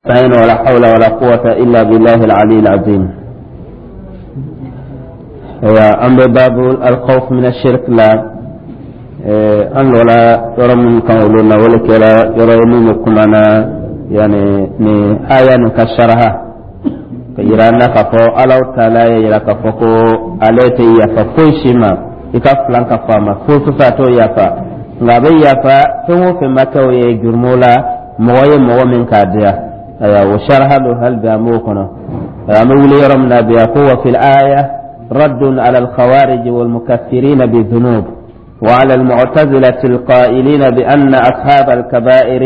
نستعين ولا حول ولا قوة إلا بالله العلي العظيم. An bɛ babu الخوف من الشرك la. An lɔla yɔrɔ min kan olu na, o le kɛra yɔrɔ ye min bɛ kuma na, yani ni aya nin ka saraha ka yira an na k'a fɔ Alahu taala ye yira k'a fɔ ko ale tɛ yafa foyi si ma i ka filan ka fɔ a ma foyi foyi, a t'o yafa. Nka a bɛ yafa fɛn o fɛn ma kɛ o ye jurumu la, mɔgɔ ye mɔgɔ min k'a diya. Ayiwa, o saraha don, hali bi an b'o kɔnɔ. An bɛ wuli yɔrɔ min na bi, a ko: وفي الآية رد على الخوارج والمكفرين بالذنوب وعلى المعتزلة القائلين بأن أصحاب الكبائر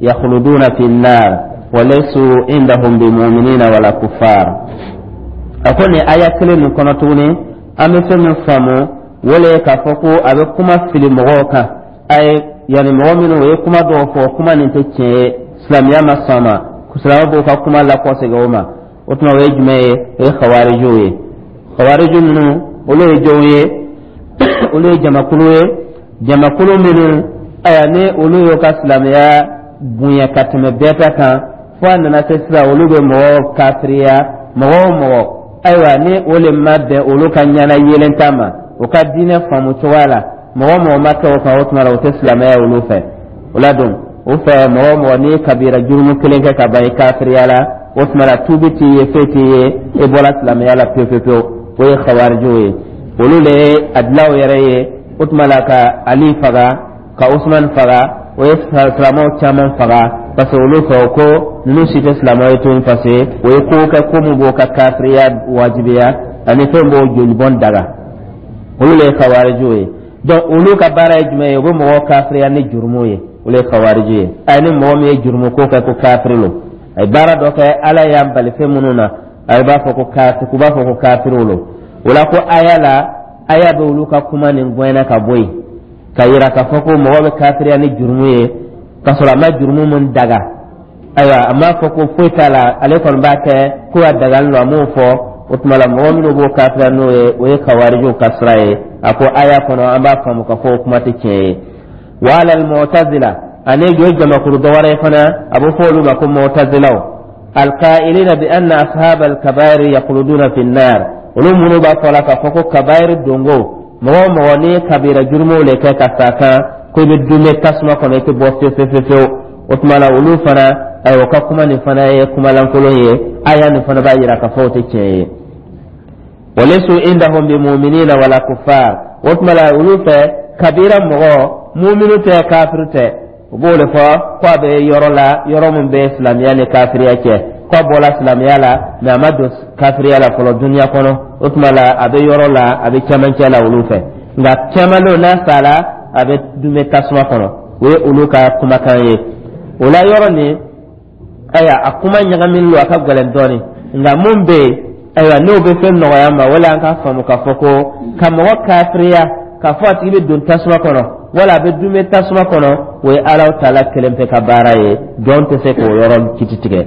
يخلدون في النار وليسوا عندهم بمؤمنين ولا كفار. أقول آية كلمة كنتوني أم فهم فهمو wala k'a fɔ ko a bɛ kuma fili mɔgɔw kan a ye, yanni mɔgɔ minnu o ye kuma dɔw fɔ, kuma nin tɛ tiɲɛ ye, silamɛya ma sɔn a ma, silamɛ b'o ka kuma lakɔsegin o ma. O tuma, o ye jumɛn ye? O ye xawarijiw ye. Xawariju ninnu, olu ye jɔnw ye? Olu ye jamakulu ye, jamakulu minnu, ayiwa, ni olu y'o ka silamɛya bonya ka tɛmɛ bɛɛ ta kan, fo a nana se sisan olu bɛ mɔgɔw kafiriya. Mɔgɔ o mɔgɔ, ayiwa, ni o le ma bɛn olu ka ɲɛna yelen ta ma, o ka diinɛ faamu cogoya la, mɔgɔ o mɔgɔ ma kɛ o kan, o tuma la o tɛ silamɛya olu fɛ. O la don o fɛ, mɔgɔ o mɔgɔ n'i ye kabira jurumu kelen kɛ ka ban, i kafiriya la. O tuma la tuubi t'i ye, foyi t'i ye, e bɔra silamɛya la pewu pewu pewu. O ye xawarijiw ye. Olu le ye a dilaw yɛrɛ ye. O tuma la ka Ali faga, ka Usman faga, o ye silamɛw caman faga, parce que olu fɛ ko ninnu si tɛ silamɛw ye tuguni, parce que o ye ko kɛ, ko mun b'o ka kafiriya wajibiya ani fɛn b'o jolibɔn daga. Olu le ye xawarijiw ye. Donc olu ka baara ye jumɛn ye? U bɛ mɔgɔw kafiriya ni jurumu ye. Olu ye xawariji ye. A ni mɔgɔ min ye jurumu ko kɛ ko kafiri lo, a ye baara dɔ kɛ, Ala y'an bali fɛn minnu na, a b'a fɔ ko kafiri, u b'a fɔ ko kafiriw lo. O la ko aya la, aya bɛ olu ka kuma nin gɛnna ka bɔ yen, ka yira k'a fɔ ko mɔgɔ bɛ kafiriya ni jurumu ye k'a sɔrɔ a ma jurumu mun daga. Ayiwa, a m'a fɔ ko foyi t'a la, ale kɔni b'a kɛ ko a dagalen don, a m'o fɔ. O tuma la mɔgɔ minnu b'o kafiriya n'o ye, o ye kawarijiw ka sira ye. A ko aya kɔnɔ, an b'a faamu k'a fɔ o kuma tɛ tiɲɛ ye. وعلى المعتزلة, ani jo jamakulu dɔ wɛrɛ fana, a bɛ fɔ olu ma ko mu'tazilaw, القائلين بأن أصحاب الكبائر يخلدون في النار. Olu minnu b'a fɔ la k'a fɔ ko kabairi dongo, mɔgɔ o mɔgɔ n'i ye kabira jurumow le kɛ ka sa kan, ko i bɛ dunbe tasuma kɔnɔ, i tɛ bɔ fewu fewu fewu. O tuma la olu fana, ayiwa, o ka kuma nin fana ye kuma lankolon ye. Aya nin fana b'a yira k'a fɔ o tɛ tiɲɛ ye. وليسوا عندهم بمؤمنين ولا كفار. O tuma la olu fɛ, kabira mɔgɔ muminu tɛ, kafiri tɛ. U b'o de fɔ ko a bɛ yɔrɔ la, yɔrɔ min bɛ silamɛya ni kafiriya cɛ, ko a bɔra silamɛya la, mɛ a ma don kafiriya la fɔlɔ duniya kɔnɔ. O tuma la a bɛ yɔrɔ la, a bɛ cɛmancɛ la olu fɛ. Nka caman n'a sara, a bɛ dunbɛ tasuma kɔnɔ. O ye olu ka kumakan ye. O la yɔrɔ nin, ayiwa, a kuma ɲagaminen don, a ka gɛlɛn dɔɔnin. Nka mun bɛ yen, ayiwa, n'o bɛ fɛn nɔgɔya ma, wala an k'a faamu k'a fɔ ko ka mɔgɔ kafiriya k'a fɔ a tigi bɛ don tasuma kɔnɔ wala a bɛ dunbɛ tasuma kɔnɔ, o ye Alahu taala kelen pe ka baara ye. Jɔn tɛ se k'o yɔrɔ kiti tigɛ,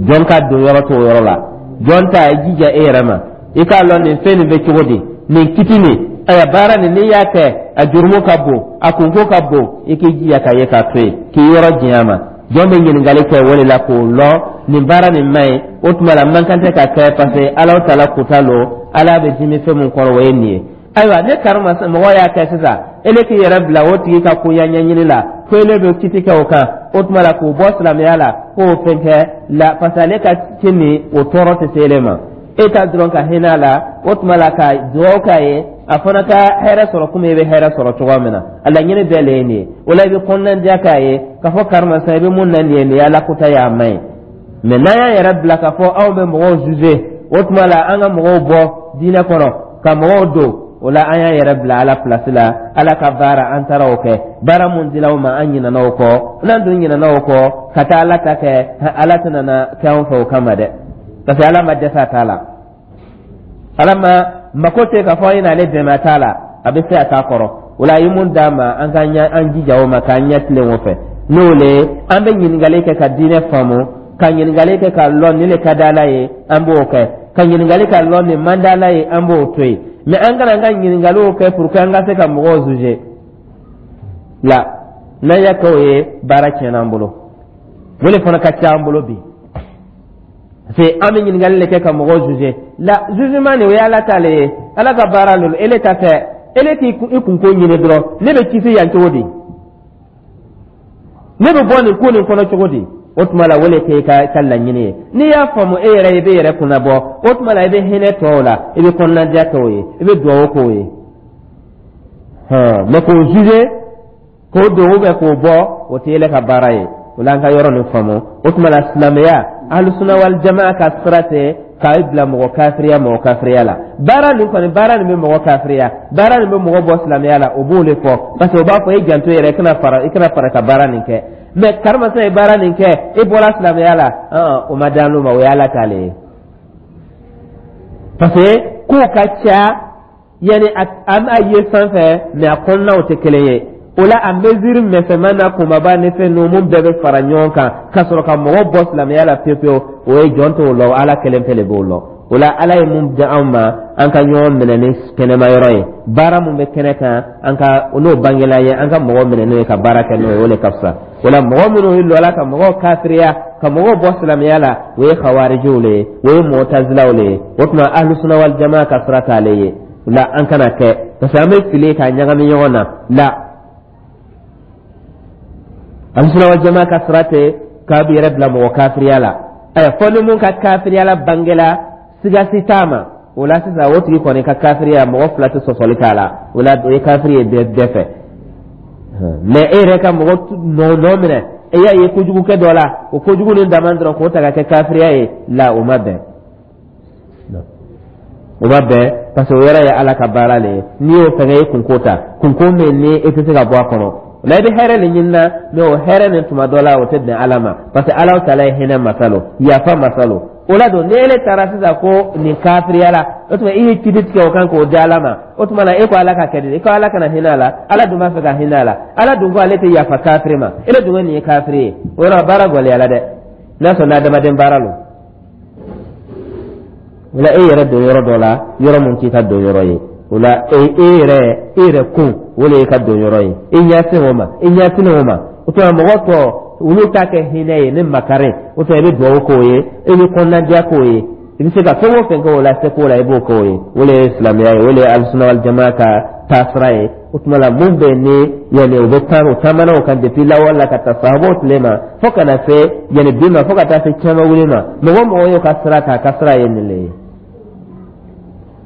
jɔn ka don yɔrɔ t'o yɔrɔ la. Jɔn ta, i jija e yɛrɛ ma, i k'a lɔn nin fɛn nin bɛ cogo di, nin kiti nin, ayiwa, baara nin, n'i y'a kɛ, a jurumu ka bon, a kunko ka bon, i k'i jija ka ye k'a to yen, k'i yɔrɔ janya ma. Jɔn bɛ ɲininkali kɛ o de la k'o lɔn nin baara nin man ɲi. O tuma la man kan tɛ ka kɛ, parce que Alahu taala kuta lo, Ala bɛ dimi fɛn min kɔrɔ, o ye nin ye. Ayiwa, ne karima mɔgɔ y'a kɛ sisan, ele k'i yɛrɛ bila o tigi ka koya ɲɛɲini la ko ele bɛ kiti kɛ o kan, o tuma la k'o bɔ silamɛya la k'o fɛn kɛ la, parce que ale ka ci nin, o tɔɔrɔ tɛ se ele ma. E ta dɔrɔn ka hinɛ a la, o tuma la ka dugawu k'a ye, a fana ka hɛrɛ sɔrɔ komi i bɛ hɛrɛ sɔrɔ cogoya min na. A laɲini bɛɛ le ye nin ye. O la i bɛ kɔnɔnandiya k'a ye k'a fɔ karima sa, i bɛ mun na nin ye, nin ye Ala kota ye, a man ɲi. Mɛ n'an y'an yɛrɛ bila k'a fɔ anw bɛ mɔgɔw juger, o tuma la an ka mɔgɔw bɔ diinɛ kɔnɔ ka mɔgɔw don o la, an y'an yɛrɛ bila Ala place la. Ala ka baara, an taara o kɛ, baara mun dila o ma, an ɲinɛna o kɔ. N'an dun ɲinɛna o kɔ ka taa Ala ta kɛ, Ala tɛna na kɛ anw fɛ o kama dɛ, parce que Ala ma dɛsɛ a t'a la. Ala ma mako tɛ k'a fɔ an ye n'ale dɛmɛ a t'a la, a bɛ se a t'a kɔrɔ. O la a ye mun d'a ma, an ka an jija o ma k'an ɲɛ tilen o fɛ. N'o le an bɛ ɲininkali kɛ ka diinɛ faamu, ka ɲininkali kɛ ka lɔn nin le ka di Ala ye, an b'o kɛ, ka ɲininkali ka lɔn nin man di Ala ye, an b'o to yen. Mɛ an kana an ka ɲininkaliw kɛ pour que an ka se ka mɔgɔw juger la. N'an y'a kɛ, o ye baara tiɲɛna an bolo. O le fana ka ca an bolo bi, parce que an bɛ ɲininkali le kɛ ka mɔgɔw juger. La, jugement nin, o ye Ala ta le ye, Ala ka baara lo. Ele ta tɛ. Ele k'i kunko ɲini dɔrɔn. Ne bɛ kisi yan cogo di? Ne bɛ bɔ nin ko nin kɔnɔ cogo di? O tuma la, o le k'e ka laɲini ye. N'i y'a faamu e yɛrɛ, i bɛ yɛrɛ kunna bɔ. O tuma la, i bɛ hinɛ tɔw la, i bɛ kɔnɔnadiya kɛ o ye, i bɛ dugawu k'o ye. Mɛ k'o juger, k'o don ou bien k'o bɔ, o tɛ ele ka baara ye. O la, an ka yɔrɔ nin faamu. O tuma la, silamɛya, Alusuna wal jamaa ka sira tɛ k'a bila mɔgɔ kafiriya la. Baara nin kɔni, baara nin bɛ mɔgɔ kafiriya, baara nin bɛ mɔgɔ bɔ silamɛya la, o b'o de fɔ, parce que o b'a fɔ e janto yɛrɛ, i kana fara ka baara nin kɛ. Mɛ karimasina ye baara nin kɛ, e bɔra silamɛya la, o ma dan ma, o ye Ala t'ale ye, parce que kow ka ca. Yanni an b'a ye sanfɛ, mɛ a kɔnɔnaw tɛ kelen ye. O la, a mesure misɛnman n'a kunbaba ni fɛn ninnu, mun bɛɛ bɛ fara ɲɔgɔn kan ka sɔrɔ ka mɔgɔ bɔ silamɛya la pewu pewu, o ye jɔn t'o lɔ, Ala kelen pe de b'o lɔ. O la, Ala ye mun di anw ma, an ka ɲɔgɔn minɛ ni kɛnɛma yɔrɔ ye. Baara mun bɛ kɛnɛ kan, an ka n'o bangela ye, an ka mɔgɔ minɛ n'o ye ka baara kɛ n'o ye, o de ka fisa. O la, mɔgɔ minnu ye lɔla ka mɔgɔw kafiriya, ka mɔgɔw bɔ silamɛya la, o ye Hawarijiw le ye, o ye Mɔtazilaw le ye. O tuma, Ahlusuna wal jamaa ka sira t'ale ye. O la, an kana kɛ, parce que an bɛ fili k'a ɲagami ɲɔgɔn na. La, Ahlusuna wal jamaa ka sira tɛ k'a bɛ yɛrɛ bila mɔgɔ kafiriya la. Ayiwa, fɔ ni mun ka kafiriya la bangela, sigasi t'a ma, o la sisan, o tigi kɔni ka kafiriya, mɔgɔ fila tɛ sɔsɔli k'a la. O la, o ye kafiri ye bɛɛ fɛ. Mɛ e yɛrɛ ka mɔgɔ nɔ minɛ, e y'a ye kojugukɛ dɔ la, o kojugu ni dama dɔrɔn k'o ta ka kɛ kafiriya ye, la, o ma bɛn, o ma bɛn, parce que o yɔrɔ ye Ala ka baara le ye. N'i y'o fɛngɛ, e kunko ta, kunko min ni e tɛ se ka bɔ a kɔnɔ. O la, i bɛ hɛrɛ de ɲini na, mɛ o hɛrɛ nin, tuma dɔ la, o tɛ bɛn Ala ma, parce que Ala taala ye hinɛ masa lo, yafa masa lo. O la don, ni ele taara sisan ko nin kafiriya la, o tuma i ye kiti tigɛ o kan k'o di Ala ma. O tuma la, e ko Ala ka kɛ di? E ko Ala kana hinɛ a la? Ala dun b'a fɛ ka hinɛ a la. Ala dun ko ale tɛ yafa kafiri ma. Ele dun ko nin ye kafiri ye. O yɔrɔ baara gɔlɛyala dɛ, n'a sɔrɔ n'adamaden baara lo. O la, e yɛrɛ don yɔrɔ dɔ la, yɔrɔ mun t'i ka don yɔrɔ ye. O la, e yɛrɛ kun, o de y'i ka don yɔrɔ ye. I ɲɛsin o ma, i ɲɛsin o ma. O tuma, mɔgɔ tɔ, olu t'a kɛ hinɛ ye ni makari. O tuma, i bɛ dugawu k'o ye, i bɛ kɔnɔnadiya k'o ye, i bɛ se ka fɛn o fɛn kɛ o la, se k'o la, i b'o k'o ye. O de ye silamɛya ye, o de ye Alisuna wal jamaa ka taasira ye. O tuma la, mun bɛ ni yanni o bɛ taa, o taamana o kan depuis lawale la ka taa sahabaw tile ma, fo ka na se yanni bi ma, fo ka taa se caman wuli ma, mɔgɔ o mɔgɔ y'o ka sira ta, a ka sira ye nin le ye.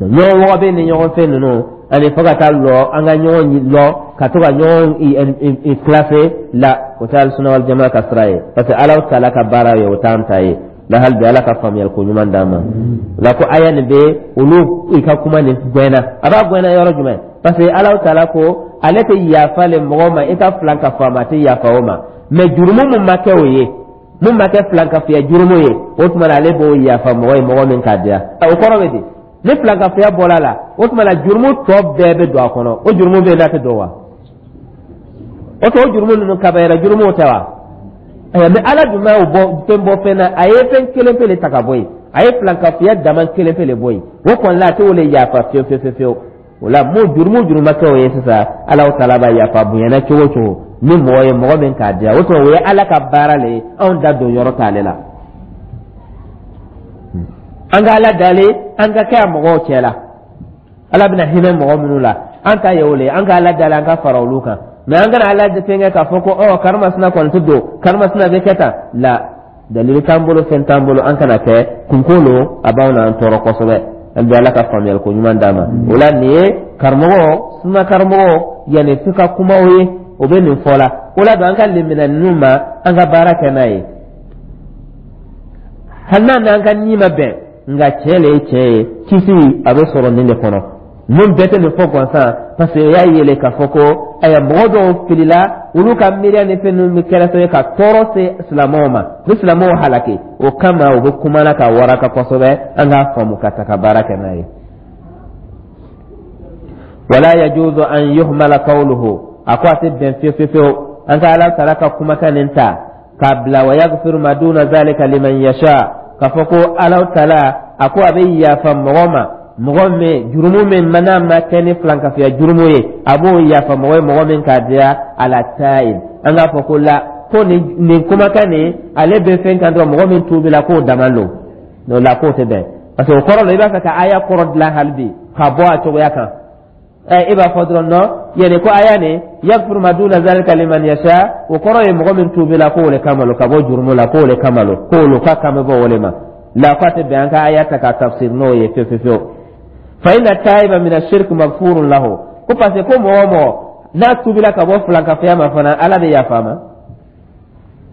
Ɲɔgɔn wɔgɔ bɛ ni ɲɔgɔn fɛn ninnu ani fo ka taa lɔ, an ka ɲɔgɔn lɔ ka to ka ɲɔgɔn kilase la, o tɛ Alisuna wal jamaa ka sira ye, parce que Ala taala ka baara ye, o t'an ta ye la. Hali bi, Ala ka faamuyali ko ɲuman d'an ma. La, ko aya nin bɛ olu i ka kuma nin gɛnna, a b'a gɛnna yɔrɔ jumɛn? Parce que Ala taala ko ale tɛ yafa le mɔgɔ ma, i ka filan ka fɔ a ma, a tɛ yafa o ma. Mɛ jurumu mun ma kɛ o ye, mun ma kɛ filan ka fiya jurumu ye, o tuma na, ale b'o yafa mɔgɔ ye, mɔgɔ min k'a diya. O kɔrɔ bɛ di? Ni filankafoya bɔra a la, o tuma na, jurumu tɔ bɛɛ bɛ don a kɔnɔ. O jurumu bɛ yen n'a tɛ don wa? O tɔ, o jurumu ninnu, kabayira jurumu tɛ wa? Ayiwa, mɛ Ala dun b'a bɔ fɛn bɔ fɛn na. A ye fɛn kelen pe de ta ka bɔ yen, a ye filankafoya dama kelen pe de bɔ yen. O kɔni la, a tɛ o le yafa fiyewu fiyewu fiyewu. O la, mun jurumu ma kɛ o ye sisan, Ala taala b'a yafa bonyana cogo o cogo ni mɔgɔ ye, mɔgɔ min k'a diya. O tuma, o ye Ala ka baara le ye, anw da don yɔrɔ t'ale la. An ka Ala dalen, an ka kɛ a mɔgɔw cɛ la, Ala bɛna hinɛ mɔgɔ minnu la, an ta ye o le ye. An ka Ala dalen, an ka fara olu kan. Mɛ an kana Ala fɛnkɛ k'a fɔ ko ɔ karimasina kɔni tɛ don, karimasina bɛ kɛ tan la. Dalili t'an bolo, fɛn t'an bolo, an kana kɛ kunko lo, a b'anw n'an tɔɔrɔ kosɛbɛ. An bɛ Ala ka faamuyali ko ɲuman d'an ma. O la, nin ye karamɔgɔ suna karamɔgɔ yanni fi ka kumaw ye, o bɛ nin fɔ la. O la don, an ka lemina ninnu ma, an ka baara kɛ n'a ye, hali n'a n'an ka ni ma bɛn, nka tiɲɛ le ye tiɲɛ ye. Kisi a bɛ sɔrɔ nin de kɔnɔ. Ninnu bɛɛ tɛ nin fɔ gansan, parce que o y'a yɛlɛ k'a fɔ ko ayiwa, mɔgɔ dɔw filila, olu ka miiriya ni fɛn ninnu bɛ kɛra sababu ye ka tɔɔrɔ se silamɛw ma, ni silamɛw halaki. O kama, u bɛ kuma na ka waraka kosɛbɛ, an k'a faamu ka ta ka baara kɛ n'a ye. Wala yajuzu an yuhmala qawluhu, a ko a tɛ bɛn fiyewu fiyewu fiyewu an ka Ala taala ka kumakan nin ta k'a bila wa yaghfiru ma duna zalika liman yasha, k'a fɔ ko Ala taala a ko a bɛ yafa mɔgɔ ma, mɔgɔ min jurumu min n'a ma kɛ ni filankafoya jurumu ye, a b'o yafa mɔgɔ ye, mɔgɔ min k'a diya. Ala ta'ib, an k'a fɔ ko la, Ko nin kumakan nin, ale bɛ fɛn kan dɔrɔn, mɔgɔ min tuubila k'o dama lo. O la, k'o tɛ bɛn, parce que o kɔrɔ la, i b'a fɛ ka aya kɔrɔ dilan hali bi ka bɔ a cogoya kan. Ɛ, e b'a fɔ dɔrɔn non, yani ko aya nin yaghfiru ma duna zalika liman yasha, o kɔrɔ ye mɔgɔ min tuubila k'o le kama lo, ka bɔ jurumu la k'o le kama lo, k'o ka kan bɛ bɔ o le ma la. K'a tɛ bɛn an ka aya ta ka tafsir n'o ye fewu fewu fewu. Fa inna taiba min ashirk maghfurun lahu, ko parce que ko mɔgɔ o mɔgɔ n'a tuubila ka bɔ filankafoya ma fana, Ala bɛ yafa a ma.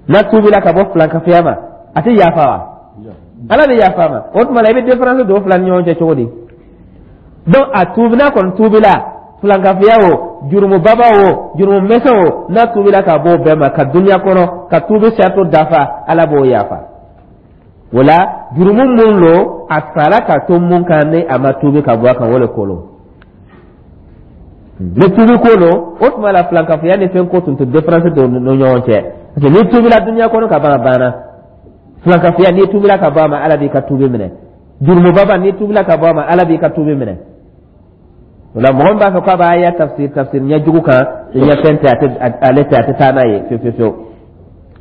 N'a tuubila ka bɔ filankafoya ma, a tɛ yafa wa? Ala bɛ yafa a ma. O tuma la, i bɛ différence don fila ni ɲɔgɔn cɛ cogo di? Donc a tuubi, n'a kɔni tuubila, filankafoya o, jurumu baba o, jurumu misɛn o, n'a tuubila ka bɔ o bɛɛ ma ka duniya kɔnɔ, ka tuubi saratu dafa, Ala b'o yafa. O la, jurumu mun lo a sara ka to mun kan ni a ma tuubi ka bɔ a kan, o le ko lo. Ni tuubi ko lo, o tuma la, filankafoya ni fɛn ko tun tɛ différence don ni ɲɔgɔn cɛ, parce que n'i tuubila duniya kɔnɔ ka ban, a banna. Filankafoya, n'i tuubila ka bɔ a ma, Ala b'i ka tuubi minɛ. Jurumu baba, n'i tuubila ka bɔ a ma, Ala b'i ka tuubi minɛ. O la, mɔgɔ min b'a fɔ k'a b'a ya tafsir ɲɛjugu kan, ɲɛ fɛn tɛ, ale tɛ, a tɛ taa n'a ye fewu fewu fewu.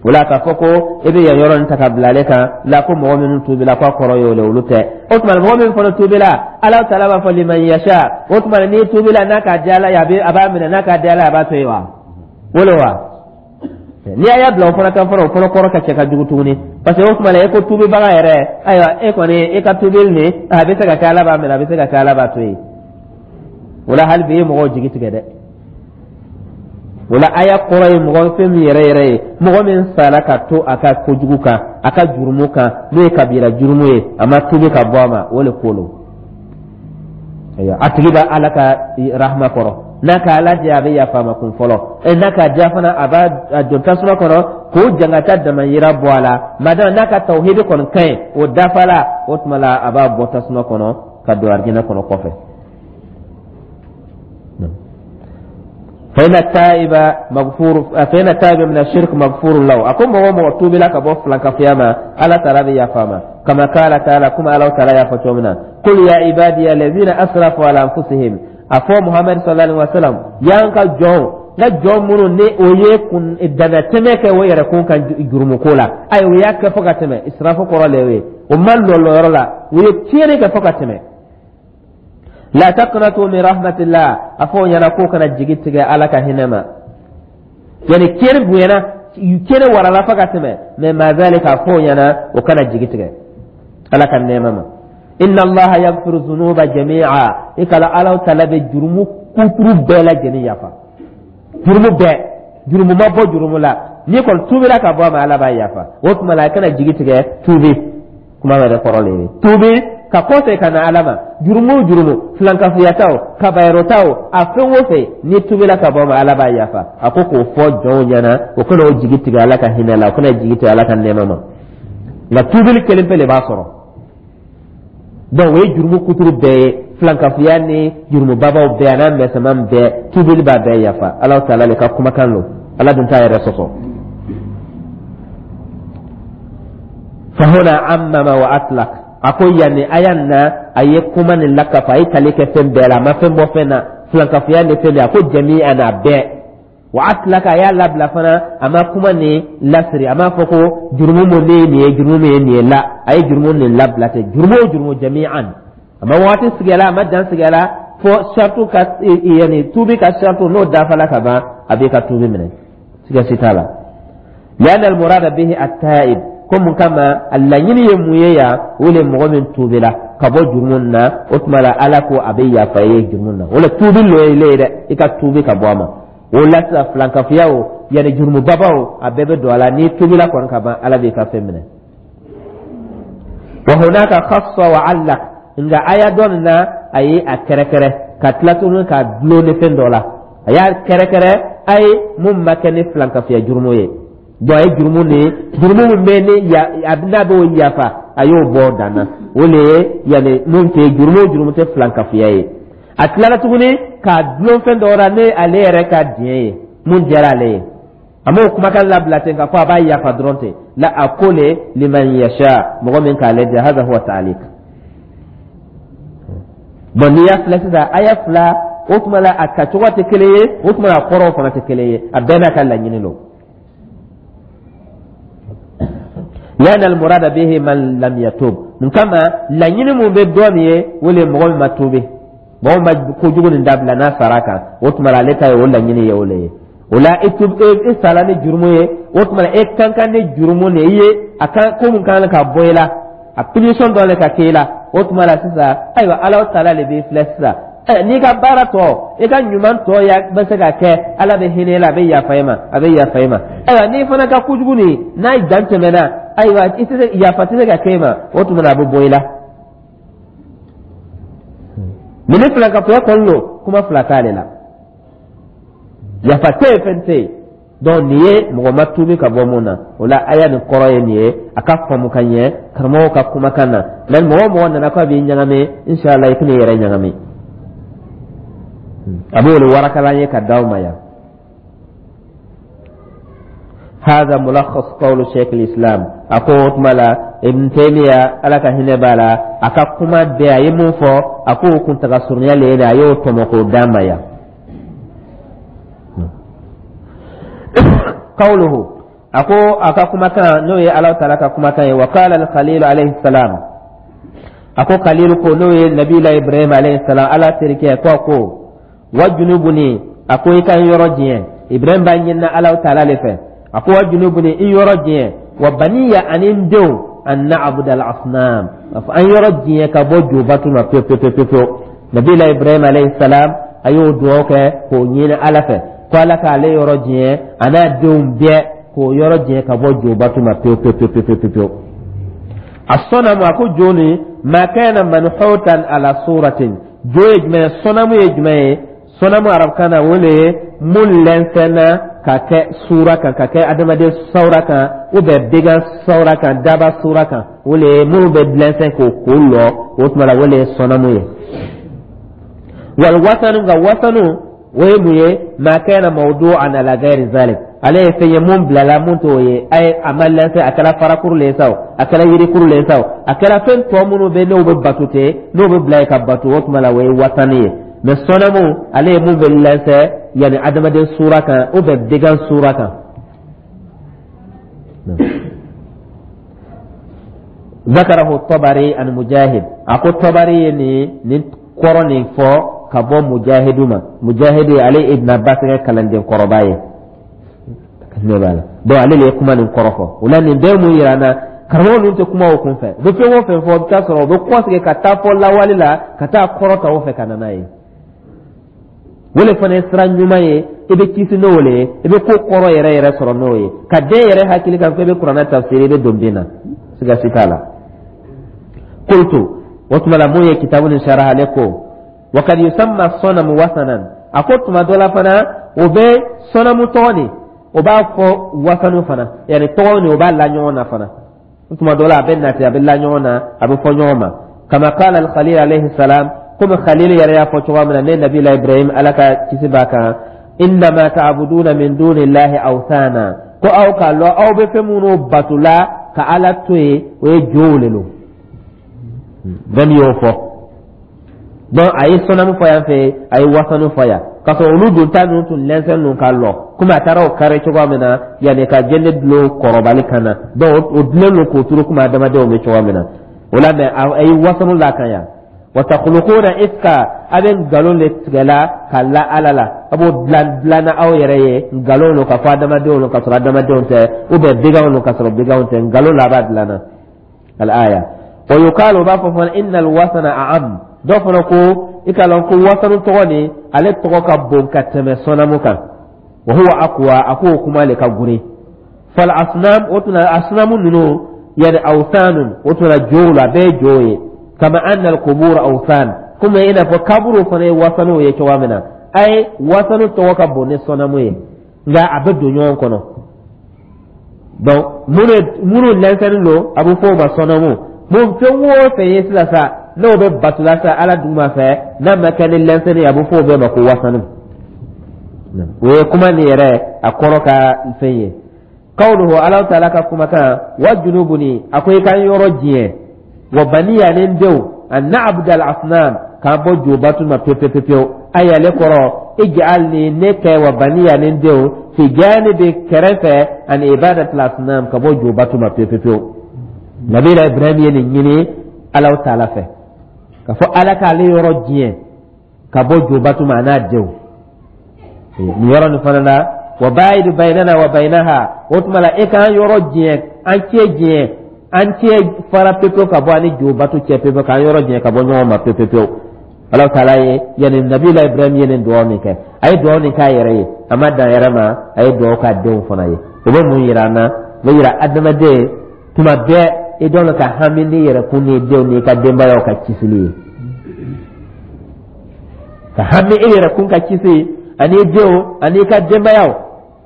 O la, k'a fɔ ko e bɛ yan yɔrɔ nin ta ka bila ale kan la, ko mɔgɔ minnu tuubila, k'a kɔrɔ y'o le, olu tɛ. O tuma, mɔgɔ min fana tuubila, Ala taala b'a fɔ liman yasha. O tuma, n'i tuubila, n'a ka di Ala ye, a b'a minɛ, n'a ka di Ala ye, a b'a to yen wa? O le wa? N'i y'a bila o fana kan fana, o fana kɔrɔ ka cɛ ka jugu tuguni, parce que o tuma la, e ko tuubibaga yɛrɛ, ayiwa, e kɔni e ka tuubili nin, a bɛ se ka kɛ Ala b'a minɛ, a bɛ se ka kɛ Ala b'a to yen. O la, hali bi, e ye mɔgɔw jigi tigɛ dɛ. O la, aya kɔrɔ ye mɔgɔ fɛn min yɛrɛ yɛrɛ ye, mɔgɔ min sara ka to a ka kojugu kan, a ka jurumu kan, n'o ye kabira jurumu ye, a ma tuubi ka bɔ a ma, o le ko lo. Ayiwa, a tigi bɛ Ala ka rahama kɔrɔ. N'a ka Ala diya, a bɛ yafa a ma kun fɔlɔ. Ɛ, n'a ka diya fana, a b'a don tasuma kɔnɔ k'o jangata damayira bɔ a la. Madama n'a ka tawhidi kɔni ka ɲi, o dafala, o tuma la, a b'a bɔ tasuma kɔnɔ ka don arijinɛ kɔnɔ kɔfɛ. Fa inna taiba min ashirk maghfurun lahu. A ko mɔgɔ mɔgɔ tuubila ka bɔ filankafoya ma, Ala taala bɛ yafa a ma. Kama qala taala, kuma Ala taala y'a fɔ cogo min na: qul ya ibadiya allazina asrafu ala anfusihim. A fɔ Muhammad sallallahu alaihi wasallam, y'an ka jɔn, n ka jɔn minnu ni o ye kun danatɛmɛ kɛ o yɛrɛ kun kan jurumu ko la, ayi, o y'a kɛ fo ka tɛmɛ. Israfu kɔrɔ le y'o ye, o ma lɔlɔyɔrɔ la, u ye tiɲɛni kɛ fo ka tɛmɛ. La taqnatu min rahmatillah. A fɔ o ɲɛna k'o kana jigi tigɛ Ala ka hinɛ ma. Yani tiɲɛni bonyana, tiɲɛni warala fo ka tɛmɛ, mais ma zalika, a fɔ o ɲɛna o kana jigi tigɛ Ala ka nɛɛma ma. Inna Allaha yaghfiru dhunuba jami'a. I kala Ala taala bɛ jurumu kuturu bɛɛ lajɛlen yafa, jurumu bɛɛ, jurumu ma bɔ jurumu la, n'i kɔni tuubira ka bɔ a ma, Ala b'a yafa. O tuma la, a kana jigi tigɛ. Tuubi kuma yɛrɛ kɔrɔ le ye tuubi ka kɔsegin ka na Ala ma. Jurumu o jurumu, filankafoya ta o, kabayɛrɛ ta o, a fɛn o fɛn, n'i tuubila ka bɔ a ma, Ala b'a yafa. A ko k'o fɔ jɔnw ɲɛna, o kana o jigi tigɛ Ala ka hinɛ la, o kana jigi tigɛ Ala ka nɛɛma ma. Nka tuubili kelen pe le b'a sɔrɔ. Donc o ye jurumu kuturu bɛɛ ye, filankafoya ni jurumu babaw bɛɛ, a n'a mɛsɛman bɛɛ, tuubili b'a bɛɛ yafa. Ala taala le ka kumakan lo, Ala dun t'a yɛrɛ sɔsɔ. Fahuna ammama wa atlaq. A ko yanni aya na, a ye kuma nin lakafa, a ye tali kɛ fɛn bɛɛ la, a ma fɛn bɔ fɛn na, filankafoya ni fɛn bɛɛ. A ko jami'an, a bɛɛ. Wa atlaka, a y'a labila fana, a ma kuma nin lasiri, a m'a fɔ ko jurumu mun ne ye nin ye, jurumu min ye nin ye la, a ye jurumu nin labila ten, jurumu o jurumu, jami'an. A ma waati sigi a la, a ma dan sigi a la, fo sartu ka, yani tuubi ka sartu n'o dafala ka ban, a b'i ka tuubi minɛ, siga si t'a la. Lianna almurada bihi at-taib, ko mun kama a laɲini ye mun ye yan? O le mɔgɔ min tuubila ka bɔ jurumu na, o tuma la, Ala ko a bɛ yafa i ye jurumu na. O le tuubi lo ye le ye dɛ, i ka tuubi ka bɔ a ma. O la sisan, filankafoya o, yanni jurumu baba o, a bɛɛ bɛ don a la. N'i tuubila kɔni ka ban, Ala b'i ka fɛn minɛ. Wa hunaka khassa wa allaq. Nka aya dɔ nin na, a ye a kɛrɛkɛrɛ ka tila tuguni ka dulon ni fɛn dɔ la. A y'a kɛrɛkɛrɛ, a ye mun ma kɛ ni filankafoya jurumu ye. Donc a ye jurumu ni jurumu min bɛ ni ya n'a b'o yafa, a y'o bɔ dan na. O le ye yanni mun tɛ jurumu o jurumu tɛ filankafoya ye. A tilala tuguni k'a dulon fɛn dɔ la ni ale yɛrɛ ka diɲɛ ye, mun diyara ale ye. A m'o kumakan labila ten k'a fɔ a b'a yafa dɔrɔn ten la. A ko le liman yasha, mɔgɔ min k'ale diya. Haza huwa ta'liq. Bon, n'i y'a filɛ sisan, aya fila, o tuma la, a tacogo tɛ kelen ye, o tuma la, a kɔrɔw fana tɛ kelen ye. A bɛɛ n'a ka laɲini don. Lianna almurada bihi man lam yatub. Mun kama? Laɲini mun bɛ dɔ nin ye, o le ye mɔgɔ min ma tuubi, mɔgɔ min ma kojugu nin dabila, n'a sara kan, o tuma la ale ta ye o laɲini ye, o le ye. O la i tub i sala ni jurumu ye, o tuma la e kan kan ni jurumu nin i ye, a kan ko mun kan ka bɔ i la, a punition dɔ le ka kɛ i la. O tuma la sisan, ayiwa, Ala taala le b'i filɛ sisan. N'i ka baara tɔ, i ka ɲuman tɔ ya bɛ se ka kɛ, Ala bɛ hinɛ i la, a bɛ yafa i ma, a bɛ yafa i ma. Ayiwa, n'i fana ka kojugu nin n'a dan tɛmɛna, ayiwa, i tɛ se, yafa tɛ se ka kɛ i ma, o tuma na a bɛ bɔ i la. Mɛ ni filankafoya kɔni don, kuma fila t'ale la, yafa tɛ yen, fɛn tɛ yen. Donc nin ye mɔgɔ ma tuubi ka bɔ mun na. O la aya nin kɔrɔ ye nin ye, a ka faamu ka ɲɛ karamɔgɔw ka kumakan na. Mɛ mɔgɔ o mɔgɔ nana k'a b'i ɲagami, inshallah i tɛn'i yɛrɛ ɲagami. A b'o le warakalan ye ka d'aw ma yan. هذا ملخص قول شيخ الإسلام. A ko o tuma la Ibn Taymiya, Ala ka hinɛ b'a la, a ka kuma bɛɛ a ye mun fɔ, a k'o kuntaga surunya le ye, a y'o tɔmɔ k'o d'an ma yan. Qawluhu, a ko a ka kumakan, n'o ye Ala taala ka kumakan ye, wa qala al-Khalil alayhi salam, a ko Khalil ko, n'o ye Nabila Ibrahim alayhi salam, Ala terikɛ ko wajunubuni, a ko i ka n yɔrɔ diɲɛ. Ibrahim b'a ɲinina Ala taala le fɛ. A ko wajunubuni, i yɔrɔ diɲɛ, wa baniya, ani n denw, an na'budu al-asnam, a fɔ an yɔrɔ diɲɛ ka bɔ jobatu ma pewu pewu pewu pewu. Nabila Ibrahim alayhi salam, a y'o dugawu kɛ k'o ɲini Ala fɛ ko Ala k'ale yɔrɔ diɲɛ, a n'a denw bɛɛ k'o yɔrɔ diɲɛ ka bɔ jobatu ma pewu pewu pewu pewu pewu. Asɔnamu, a ko jo nin, ma kana manhutan ala suratin. Jo ye jumɛn ye? Sɔnamu ye jumɛn ye? Sɔnamu arabukan na, o le ye mun lɛnsɛnna ka kɛ sura kan, ka kɛ adamaden sawura kan, ou bien began sawura kan, daba sura kan. O le ye minnu bɛ lɛnsɛn k'o lɔ, o tuma la o le ye sɔnamu ye. Wal wasanu, nka wasanu o ye mun ye? Ma kana mawdu'an ala ghairi zalik, ale ye fɛn ye mun bilala mun t'o ye. A ye a ma lɛnsɛn, a kɛra farakuru le ye sa o, a kɛra yirikuru le ye sa o, a kɛra fɛn tɔ minnu bɛ n'o bɛ bato ten, n'o bɛ bila yen ka bato, o tuma la o ye wasani ye. Mɛ sɔnamu, ale ye mun bɛ lɛnsɛn yanni adamaden sura kan ou bien began sura kan. Zakarahu Tabari an Mujahid, a ko Tabari ye nin kɔrɔ nin fɔ ka bɔ Mujahidu ma. Mujahidu, ale Ibn Abbas ka kalanden kɔrɔba ye, ne b'a la. Donc ale de ye kuma nin kɔrɔ fɔ. O la nin bɛɛ mun yira an na? Karamɔgɔ ninnu tɛ kuma o kun fɛ, u bɛ fɛn o fɛn fɔ, i bɛ taa sɔrɔ u bɛ kɔsegin ka taa fɔ lawale la, ka taa kɔrɔ ta o fɛ ka na n'a ye. O le fana ye sira ɲuman ye, i bɛ kisi n'o le ye, i bɛ ko kɔrɔ yɛrɛ yɛrɛ sɔrɔ n'o ye. Ka den yɛrɛ hakili kan ko i bɛ kuranɛ tafsiri, i bɛ don bin na, siga si t'a la. Qultu, o tuma la mun ye kitabu nin saraha, ale ko wa kad yusamma sɔnamu wasanan, a ko tuma dɔ la fana o bɛ sɔnamu tɔgɔ nin, o b'a fɔ wasanu fana, yanni tɔgɔ nin o b'a la ɲɔgɔn na fana. Tuma dɔ la a bɛ nati, a bɛ la ɲɔgɔn na, a bɛ fɔ ɲɔgɔn ma. Kama qala al-Khalil alayhi salam, komi Khalil yɛrɛ y'a fɔ cogoya min na, ne Nabila Ibrahim, Ala ka kisi b'a kan, innama ta'buduna min dunillahi awthana, ko aw k'a lɔn aw bɛ fɛn minnu bato la ka Ala to yen, o ye jow le lo. Bɛɛ y'o fɔ. Donc a ye sɔnamu fɔ yan fɛ, a ye wasanu fɔ yan, k'a sɔrɔ olu dun ta ninnu tun lɛnsɛn ninnu ka lɔ komi a taara o kari cogoya min na, yanni ka jɛnɛ dulon kɔrɔbali kan na. Donc o dulen don k'o turu komi adamadenw bɛ cogoya min na o la. Mɛ a ye wasanu la kan yan. Wa takhluquna ifka, a bɛ nkalon de tigɛ la ka la Ala la, a b'o dilan dilanna aw yɛrɛ ye nkalon don ka fɔ adamadenw don ka sɔrɔ adamadenw tɛ, ou bien beganw don ka sɔrɔ beganw tɛ, nkalon la a b'a dilanna. Al aya wa yuqalu, u b'a fɔ fana innal wasana a'am. Dɔw fana ko i k'a lɔn ko wasanu tɔgɔ nin, ale tɔgɔ ka bon ka tɛmɛ sɔnamu kan. Wa huwa aqwa, a k'o kuma le ka grin. Fal asnam, o tuma asnamu ninnu, yani awsanun, o tuma jow la, bɛɛ ye jo ye. Kama anna al-qubur awsan, komi i n'a fɔ kaburu fana ye wasanuw ye cogoya min na. A ye wasanu tɔgɔ ka bon ni sɔnamu ye, nka a bɛ don ɲɔgɔn kɔnɔ. Donc minnu lɛnsɛnni don, a bɛ fɔ o ma sɔnamu. Mun fɛn o fɛn ye sisan sa, n'o bɛ batula sa Ala duguma fɛ, n'a ma kɛ ni lɛnsɛnni ye, a bɛ fɔ o bɛɛ ma ko wasanu. O ye kuma nin yɛrɛ a kɔrɔ ka fɛn ye. Kawluhu, Ala taala ka kumakan, wa junubuni, a ko i ka n yɔrɔ diɲɛ, wa baniya, ni n denw, an na'budu al asnam, k'an bɔ jobatu ma pewu pewu pewu. Ayi, ale kɔrɔ ij'alni, ne kɛ, wa baniya, ni n denw, fi janibi, kɛrɛfɛ, an ibadatil asnam, ka bɔ jobatu ma pewu pewu pewu. Nabila Ibrahim ye nin ɲini Alahu Taala fɛ k'a fɔ Ala k'ale yɔrɔ diɲɛ ka bɔ jobatu ma, a n'a denw. Nin yɔrɔ nin fana na, wa baid bainana wa bainaha, o tuma la e k'an yɔrɔ diɲɛ, an cɛ diɲɛ, an cɛ fara pepewu ka bɔ ani jobatu cɛ pepewu, k'an yɔrɔ diɲɛ ka bɔ ɲɔgɔn ma pewu pewu. Ala Taala ye, yani Nabila Ibrahim ye nin dugawu nin kɛ, a ye dugawu nin k'a yɛrɛ ye, a ma dan yɛrɛ ma, a ye dugawu k'a denw fana ye. O bɛ mun yira an na? O bɛ yira adamaden tuma bɛɛ i dɔn ka hami n'i yɛrɛ kun n'i denw n'i ka denbayaw ka kisili ye, ka hami i yɛrɛ kun ka kisi ani i denw ani i ka denbayaw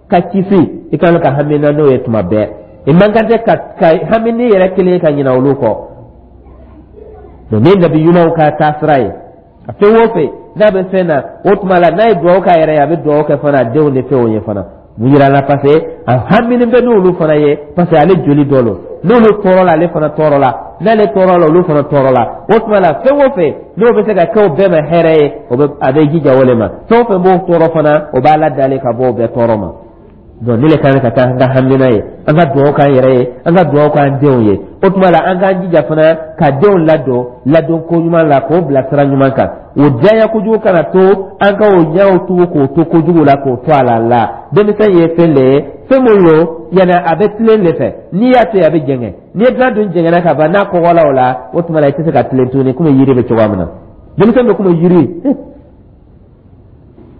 ka kisi. I kan ka hami na n'o ye tuma bɛɛ. I man kan tɛ ka hami n'i yɛrɛ kelen ka ɲinɛ olu kɔ. Nin ye nabi ɲumanw ka taasira ye. A fɛn o fɛn n'a bɛ fɛn na, o tuma la n'a ye dugawu k'a yɛrɛ ye, a bɛ dugawu kɛ fana a denw ni fɛnw ye fana. Mun yira la? Parce que a haminen bɛ n'olu fana ye, parce que ale joli dɔ lo. N'olu tɔɔrɔ la, ale fana tɔɔrɔ la. N'ale tɔɔrɔ la, olu fana tɔɔrɔ la. O tuma la, fɛn o fɛn n'o bɛ se ka kɛ o bɛɛ ma hɛrɛ ye, o bɛ a bɛ jija o le ma. Fɛn o fɛn b'o tɔɔrɔ fana, o b'a ladalen ka bɔ o bɛɛ tɔɔrɔ ma. Donc ne le kan ka taa an ka hamina ye, an ka dugawu k'an yɛrɛ ye, an ka dugawu k'an denw ye. O tuma la, an k'an jija fana ka denw ladon ladon ko ɲuman la, k'o bila sira ɲuman kan. O diya kojugu kana to an ka o ɲɛw tugu k'o to kojugu la, k'o to a la. La denmisɛn ye fɛn le ye, fɛn min lo, yanni a bɛ tilen le fɛ. N'i y'a to yen, a bɛ jɛngɛ. N'i ye dilan dun jɛngɛnna ka ban, n'a kɔgɔla o la, o tuma la i tɛ se ka tilen tuguni. Komi yiri bɛ cogoya min na, denmisɛn bɛ komi yiri.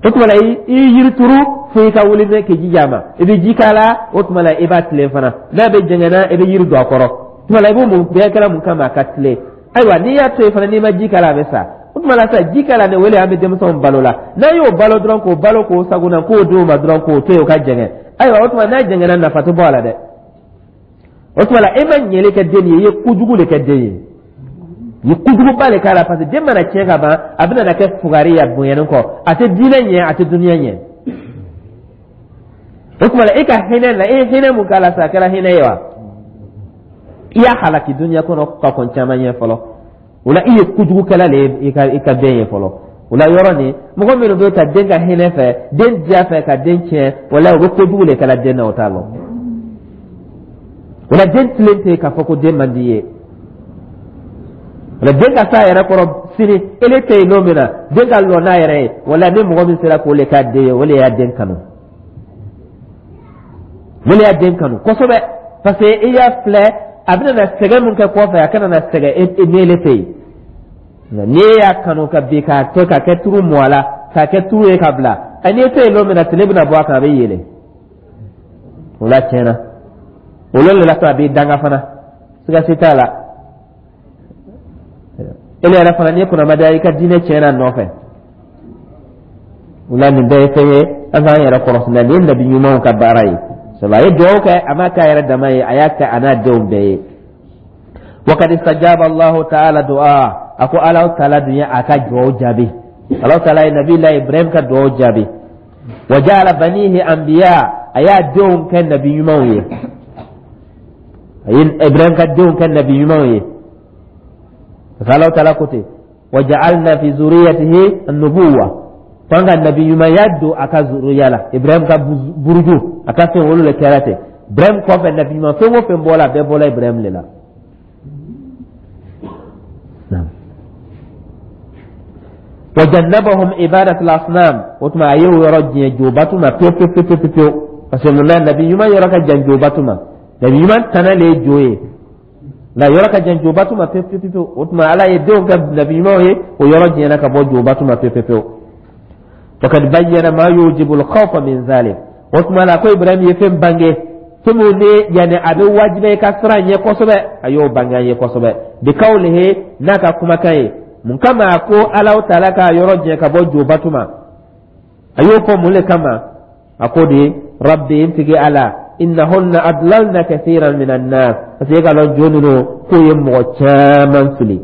O tuma la, i yiri turu fo i ka wuli ne k'i jija a ma, i bɛ ji k'a la. O tuma la, i b'a tilen fana. N'a bɛ jɛngɛnna, i bɛ yiri don a kɔrɔ. O tuma la, i b'o mun bɛɛ kɛra mun kama? A ka tilen. Ayiwa, n'i y'a to yen fana, n'i ma ji k'a la, a bɛ sa. O tuma la sa, ji k'a la, ne wele an bɛ denmisɛnw balo la. N'an y'o balo dɔrɔn, k'o balo k'o sagona, k'o d'o ma dɔrɔn, k'o to yen o ka jɛngɛ, ayiwa, o tuma n'a jɛngɛnna, nafa tɛ bɔ a la dɛ. O tuma la, e ma ɲɛli kɛ den ye, i ye kojugu de kɛ den ye, i ye kojuguba de k'a la, parce que den mana tiɲɛ ka ban, a bɛna na kɛ fugari ye a bonyani kɔ. A tɛ diinɛ ɲɛ, a tɛ duniya ɲɛ. O tuma la, e ka hinɛ la, e ye hinɛ mun k'a la sa, a kɛra hinɛ ye wa? I y'a halaki duniya kɔnɔ ka kɔn caman ɲɛ fɔlɔ. O la, i ye kojugukɛla de ye i ka den ye fɔlɔ. O la, yɔrɔ nin, mɔgɔ minnu bɛ ka den ka hinɛ fɛ, den diya fɛ ka den tiɲɛ, o la u bɛ kojugu de kɛla den na, o t'a lɔn. O la, den tilen tɛ k'a fɔ ko den man di ye. O la, den ka s'a yɛrɛ kɔrɔ sini, ele tɛ yen don min na, den ka lɔ n'a yɛrɛ ye. O la, ni mɔgɔ min sera k'o le k'a den ye, o le y'a den kanu, o le y'a den kanu kosɛbɛ, parce que i y'a filɛ, a bɛna na sɛgɛn min kɛ kɔfɛ, a kana na sɛgɛn e n'ele tɛ yen. Nka n'i y'a kanu ka bin k'a to ka kɛ turu mɔ a la, k'a kɛ turu ye ka bila, n'i tɛ yen don min na, tile bɛna bɔ a kan, a bɛ yɛlɛ. O la, tiɲɛna, o le la to a b'i danga fana, siga si t'a la. Ele yɛrɛ fana, n'i kunnamadiya, i ka diinɛ tiɲɛna nɔfɛ. O la, nin bɛɛ ye fɛn ye an k'an yɛrɛ kɔlɔsi la. Nin ye nabi ɲumanw ka baara ye, sabu a ye dugawu kɛ, a m'a kɛ a yɛrɛ dama ye, a y'a kɛ a n'a denw bɛɛ ye. Wakad istajaba Allahu Taala du'a, a ko Alahu Taala dun ye a ka dugawu jaabi. Alahu Taala ye Nabi la Ibrahim ka dugawu jaabi. Wa ja'ala banihi anbiya, a y'a denw kɛ nabi ɲumanw ye, a ye Ibrahim ka denw kɛ nabi ɲumanw ye, parce que Alahu Taala ko ten: wa ja'alna fi zuriyatihi an-nubuwa, ko an ka nabi ɲumanya don a ka zuriya la. Ibrahim ka buruju, a ka fɛn, olu le kɛra ten. Ibrahim kɔfɛ, nabi ɲuman fɛn o fɛn bɔra, a bɛɛ bɔra Ibrahim de la. Wa jannabahum ibadatul asnam, o tuma a y'o yɔrɔ diɲɛ jobatu ma pewu pewu pewu pewu pewu, parce que mun na? Nabi ɲuman yɔrɔ ka jan jobatu ma. Nabi ɲuman tana le ye jo ye, nka yɔrɔ ka jan jobatu ma pewu pewu pewu. O tuma Ala ye denw kɛ nabi ɲumanw ye, o yɔrɔ diɲɛna ka bɔ jobatu ma pewu pewu pewu. Wakad bayyana ma yujibu al-khawfa min zalik, o tuma la ko Ibrahim ye fɛn bange, fɛn min ni yanni a bɛ wajibiya i ka siran ɲɛ kosɛbɛ, a y'o bange an ye kosɛbɛ, bi kawlihi, n'a ka kumakan ye. Mun kama a ko Alahu Taala k'a yɔrɔ jɛ ka bɔ jobatu ma? A y'o fɔ mun le kama? A ko de: rabbi, n tigi Ala, innahunna adlalna kathiran minan nas, parce que e ka lɔn jo ninnu k'o ye mɔgɔ caman fili,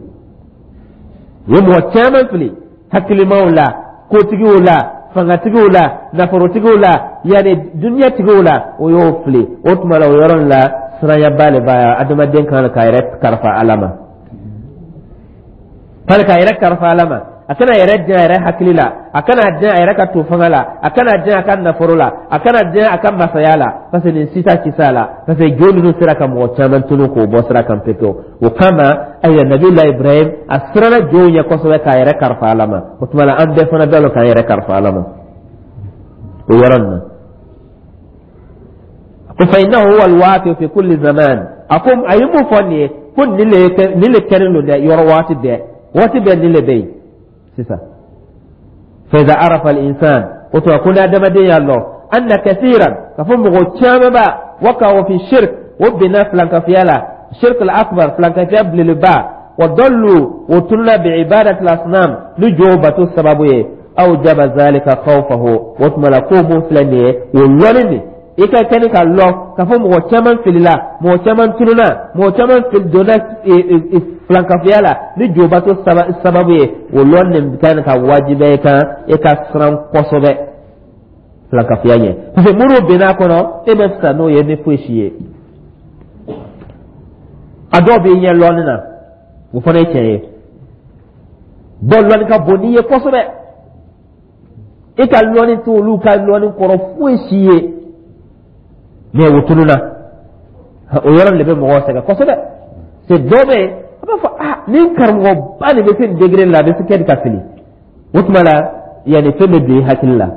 u ye mɔgɔ caman fili, hakilimaw la, kotigiw la, fangatigiw la, nafolotigiw la, yanni duniyatigiw la, o y'o fili. O tuma la, o yɔrɔ la, siranyaba le b'a adamaden kan k'a yɛrɛ kalifa Ala ma, hali k'a yɛrɛ kalifa Ala ma. A kana yɛrɛ diya a yɛrɛ hakili la, a kana diya a yɛrɛ ka to fanga la, a kana diya a ka nafolo la, a kana diya a ka masaya la, parce que nin si t'a kisi a la, parce que jo ninnu sera ka mɔgɔ caman tunu k'o bɔ sira kan pepewu. O kama, ayiwa, Nabila Ibrahim a siranna jow ɲɛ kosɛbɛ k'a yɛrɛ kalifa Ala ma. O tuma la, an bɛɛ fana bɛ lɔ k'an yɛrɛ kalifa Ala ma o yɔrɔ nin na. Ko fa innahu huwa alwaqi fi kulli zaman. A ko a ye mun fɔ nin ye? Ko nin le kɛlen don dɛ, yɔrɔ waati bɛɛ, waati bɛɛ nin le bɛ yen sisan. Fa iza arafa al-insan, o tuma ko ni adamaden y'a lɔn, anna kathiran, ka fɔ mɔgɔ caman ba waqa'u fi shirk, o binna filankafiya la, shirk al-akbar, filankafiya belebeleba, wa dallu, o tununa, bi ibadati al-asnam, ni jow bato sababu ye, awjaba zalika khawfahu. O tuma la, ko mun filɛ nin ye, o lɔnni nin i ka kɛni ka lɔn k'a fɔ mɔgɔ caman filila, mɔgɔ caman tununa, mɔgɔ caman donna filankafiya la ni jobato sababu ye, o lɔnni nin kan ka wajibiya i kan e ka siran kosɛbɛ filankafiya ɲɛ, parce que minnu bɛn'a kɔnɔ, e bɛ fisa n'o ye ni foyi si ye. A dɔw b'i ɲɛ lɔnni na, o fana ye tiɲɛ ye. Dɔw lɔnni ka bon n'i ye kosɛbɛ, e ka lɔnni t'olu ka lɔnni kɔrɔ foyi si ye, mais o tununa. O yɔrɔ de bɛ mɔgɔw sɛgɛn kosɛbɛ. C'est dɔ bɛ yen, a b'a fɔ: ah, ni karamɔgɔba nin bɛ se nin degré la, a bɛ se kɛ ka fili. O tuma la, yanni fɛn bɛ don i hakili la,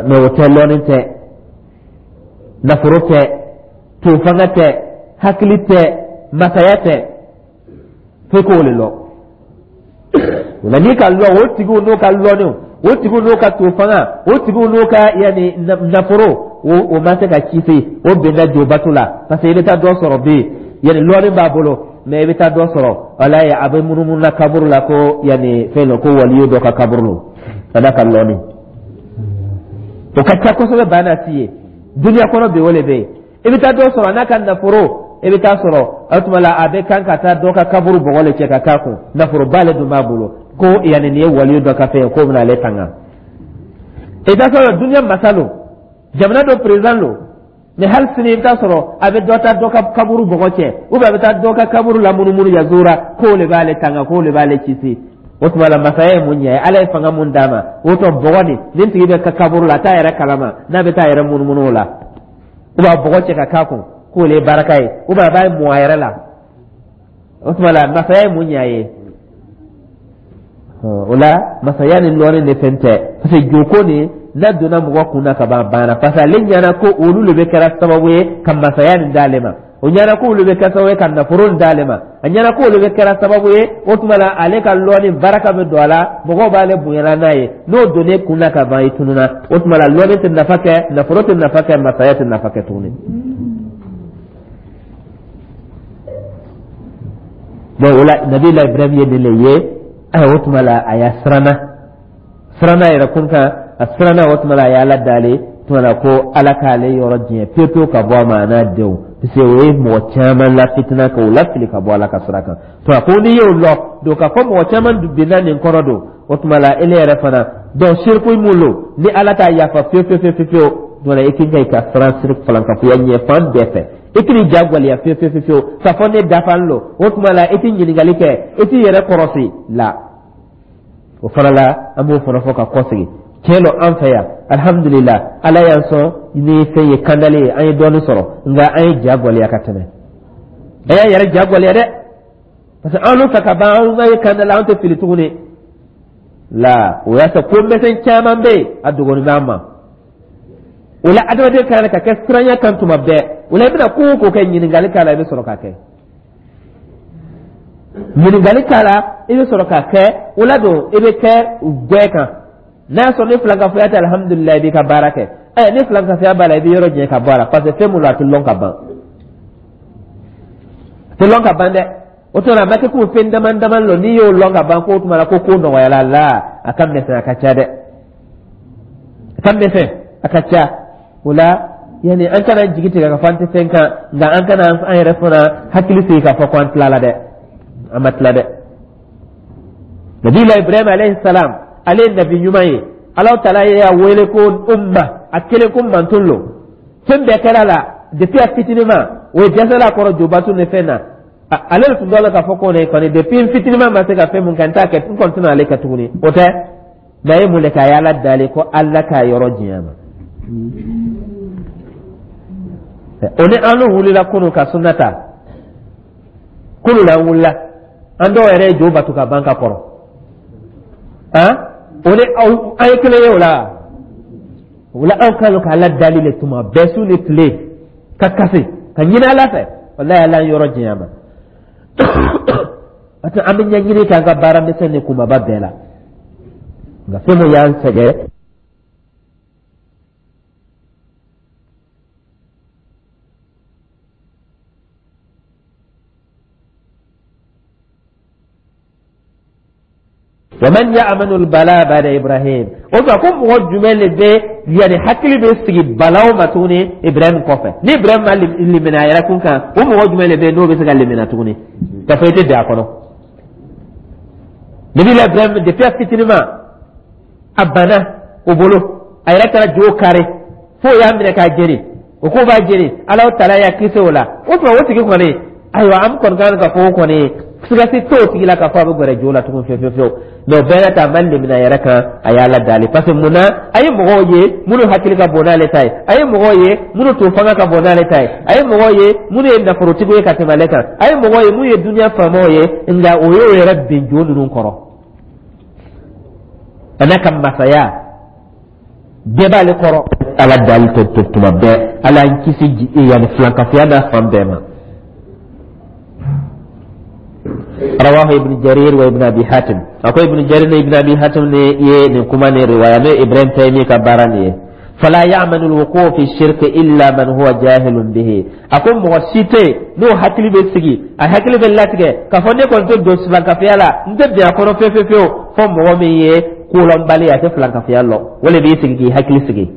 mais o tɛ. Lɔnni tɛ, nafolo tɛ, tofanga tɛ, hakili tɛ, masaya tɛ, f'e k'o de lɔn. O la, n'i ka lɔn o tigiw n'o ka lɔnniw, o tigiw n'o ka tofanga, o tigiw n'o ka yanni nafolo, o ma se ka kisi, o bɛnna jobato la, parce que i bɛ taa dɔ sɔrɔ bi, yanni lɔnni b'a bolo, mais i bɛ taa dɔ sɔrɔ, walayi, a bɛ munumunu na kaburu la ko yanni fɛn dɔ, ko waliyu dɔ ka kaburu lo, ka d'a ka lɔnni. O ka ca kosɛbɛ, banna ti ye duniya kɔnɔ bi, o de bɛ yen. I bɛ taa dɔ sɔrɔ a n'a ka nafolo, i bɛ taa sɔrɔ o tuma la, a bɛ kan ka taa dɔ ka kaburu bɔgɔ le cɛ ka k'a kun, nafoloba le dun b'a bolo, ko yanni nin ye waliyu dɔ ka fɛn ye, k'o bɛna ale tanga. I bɛ taa sɔrɔ duniya masa lo, jamana dɔ président lo, mais hali sini i bɛ taa sɔrɔ a bɛ dɔ ta dɔ ka kaburu bɔgɔ cɛ, ou bien a bɛ taa dɔ ka kaburu lamunumunu yazura, k'o de b'ale tanga, k'o de b'ale kisi. O tuma la, masaya ye mun ɲɛ ye? Ala ye fanga mun d'a ma? O tɔ bɔgɔ nin tigi bɛ ka kaburu la, a t'a yɛrɛ kalama n'a bɛ taa yɛrɛ munumunu o la, ou bien a bɔgɔ cɛ ka k'a kun k'o le ye baraka ye, ou bien a b'a mɔ a yɛrɛ la. O tuma la, masaya ye mun ɲɛ a ye? O la, masaya ni lɔnni ni fɛn tɛ, parce que joko nin n'a donna mɔgɔ kun na ka ban, a banna, parce que ale ɲɛna ko olu de bɛ kɛra sababu ye ka masaya nin d'ale ma, o ɲɛna ko olu bɛ kɛ sababu ye ka nafolo nin d'ale ma, a ɲɛna ko olu bɛ kɛra sababu ye, o tuma la, ale ka lɔnni baraka bɛ don a la, mɔgɔw b'ale bonyana n'a ye. N'o donn'e kun na ka ban, i tununa. O tuma la, lɔnni tɛ nafa kɛ, nafolo tɛ nafa kɛ, masaya tɛ nafa kɛ tuguni. Donc o la, Nabila Ibrahim ye nin le ye. Ayiwa, o tuma la, a y'a siranna yɛrɛ kun kan, a siranna. O tuma la, a y'Ala dali tuma la ko Ala k'ale yɔrɔ diɲɛ pewu pewu ka bɔ a ma, a n'a denw, parce que o ye mɔgɔ caman la fitina k'o lafili ka bɔ Ala ka sira kan. To a ko n'i y'o lɔ don k'a fɔ mɔgɔ caman binna nin kɔrɔ don, o tuma la, ele yɛrɛ fana donc siriku mun lo ni Ala t'a yafa pewu pewu pewu pewu, tuma la, i k'i ka i ka siran siriku falankafoya ɲɛ fan bɛɛ fɛ. I k'i ja gwɛlɛya fiyewu fiyewu fiyewu k'a fɔ ne dafalen lo. O tuma la, i tɛ ɲininkali kɛ, i t'i yɛrɛ kɔrɔsi la. O fana la, an b'o fana fɔ ka kɔsegin. Tiɲɛ don, an fɛ yan, alihamudulila, Ala y'an sɔn ni fɛn ye, kandali ye, an ye dɔɔnin sɔrɔ, nka an ye ja gwɛlɛya ka tɛmɛ. A y'a yɛrɛ ja gwɛlɛya dɛ, parce que an n'u fɛ ka ban, an ka ye kandali, an tɛ fili tuguni la. O y'a sɔrɔ ko misɛn caman bɛ yen, a dogonin b'an ma. O la, adamaden ka kan ka kɛ siranya kan tuma bɛɛ. O la, i bɛna ko o ko kɛ, ɲininkali k'a la, i bɛ sɔrɔ k'a kɛ. Ɲininkali k'a la, i bɛ sɔrɔ k'a kɛ. O la don, i bɛ kɛ gbɛ kan. N'a y'a sɔrɔ ni filankafoya tɛ, alihamudulilayi, i b'i ka baara kɛ. Ɛ, ni filankafoya b'a la, i bɛ yɔrɔ jɛ ka bɔ a la, parce que fɛn mun don, a tɛ lɔn ka ban, a tɛ lɔn ka ban dɛ. O tuma na, a ma kɛ ko fɛn dama dama lɔ, n'i y'o lɔn ka ban, k'o tuma la ko ko nɔgɔyara la. A ka misɛn, a ka ca dɛ, a ka misɛn, a ka ca. O la, yani an kana jigi tigɛ ka fɔ an tɛ fɛn kan, nka an kana an yɛrɛ fana hakili sigi k'a fɔ ko an tilala dɛ. An ma tila dɛ. Nabila Ibrahim alayhi salam, ale ye nabi ɲuman ye. Alahu taala y'a wele ko umma, a kelen ko mantun lo. Fɛn bɛɛ kɛra la depuis a fitinin ma, o ye dɛsɛla a kɔrɔ jobatu ni fɛn na. Ale tun dɔ la k'a fɔ ko ne kɔni depuis n fitinin ma se ka fɛn mun kɛ, n t'a kɛ, n kɔni tɛna ale kɛ tuguni. O tɛ, mɛ a ye mun de kɛ? A ye Ala dali ko Ala k'a yɔrɔ janya ma. O ni an wulila kunu ka sunna ta, kunu la an wulila, an dɔw yɛrɛ ye jo batu ka ban ka kɔrɔ. Han, o ni an ye kelen ye o la. O la, anw kan ka Ala dali le tuma bɛɛ, su ni tile, ka kasi ka ɲini Ala fɛ. Walayi, Ala yɔrɔ janya ma. Parce que an bɛ ɲɛɲini k'an ka baara misɛn ni kumaba bɛɛ la, nka fɛn min y'an sɛgɛn, wa man ya'manu al-bala ba'da Ibrahim, o tuma ko mɔgɔ jumɛn de bɛ, yani hakili bɛ sigi balaw ma tuguni Ibrahim kɔfɛ? Ni Ibrahim ma limina a yɛrɛ kun kan, o mɔgɔ jumɛn de bɛ yen n'o bɛ se ka limina tuguni ka fɔ i tɛ bin a kɔnɔ? Nabila Ibrahim, depuis a fitinin ma, a banna o bolo, a yɛrɛ taara jo kari fo o y'a minɛ k'a jeni, o ko b'a jeni, Ala taala y'a kisi o la. O tuma o tigi kɔni, ayiwa, an kɔni kan ka fɔ o kɔni sigasi t'o tigi la k'a fɔ a bɛ gɛrɛ jo la tugun fiyewu fiyewu fiyewu. Mɛ o bɛɛ n'a ta, a ma limina yɛrɛ kan, a y'Ala dali. Parce que mun na? A ye mɔgɔw ye minnu hakili ka bon n'ale ta ye, a ye mɔgɔw ye minnu tun fanga ka bon n'ale ta ye, a ye mɔgɔw ye minnu ye nafolotigiw ye ka tɛmɛ ale kan, a ye mɔgɔw ye minnu ye duniya faamaw ye, nka o y'o yɛrɛ bin jo ninnu kɔrɔ. A n'a ka masaya bɛɛ b'ale kɔrɔ. Ala dali to tuma bɛɛ, Ala y'an kisi yanni filankafoya n'a fan bɛɛ ma. Rawahu Ibn Jarir wa Ibn Abi Hatim. A ko Ibn Jarir ni Ibn Abi Hatim ne ye nin kuma nin riwaya, n'o Ibrahim Taymi ka baara nin ye. Fala ya'manu al-wuqu' fi shirki illa man huwa jahilun bihi. A ko mɔgɔ si tɛ yen n'o hakili bɛ sigi, a hakili bɛ latigɛ k'a fɔ ne kɔni tɛ don filankafoya la, n tɛ bin a kɔnɔ fewu fewu fewu, fo mɔgɔ min ye kolɔnbali, a tɛ filankafoya lɔn, o le b'i sigi k'i hakili sigi.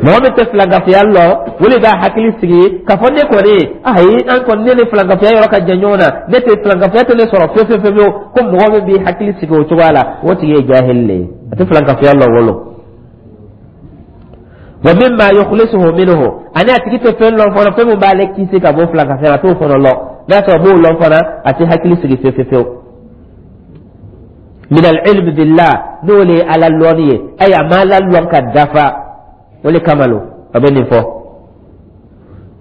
Mɔgɔ min tɛ filankafoya lɔn, o le b'a hakili sigi k'a fɔ ne kɔni, ayi, an kɔni, ne ni filankafoya yɔrɔ ka jan ɲɔgɔn na, ne tɛ filankafoya tɛ ne sɔrɔ fewu fewu fewu. Ko mɔgɔ min b'i hakili sigi o cogoya la, o tigi ye jahili le ye, a tɛ filankafoya lɔn wolo. Wa mimma yukhlisuhu minhu, ani a tigi tɛ fɛn lɔn fana, fɛn min b'ale kisi ka bɔ filankafoya la, a t'o fana lɔn. N'a sɔrɔ a b'o lɔn fana, a tɛ hakili sigi fewu fewu fewu. Min al-ilm billah, n'o le ye Ala lɔnni ye, ayi, a ma Ala lɔn ka dafa, o le kama lo a bɛ nin fɔ.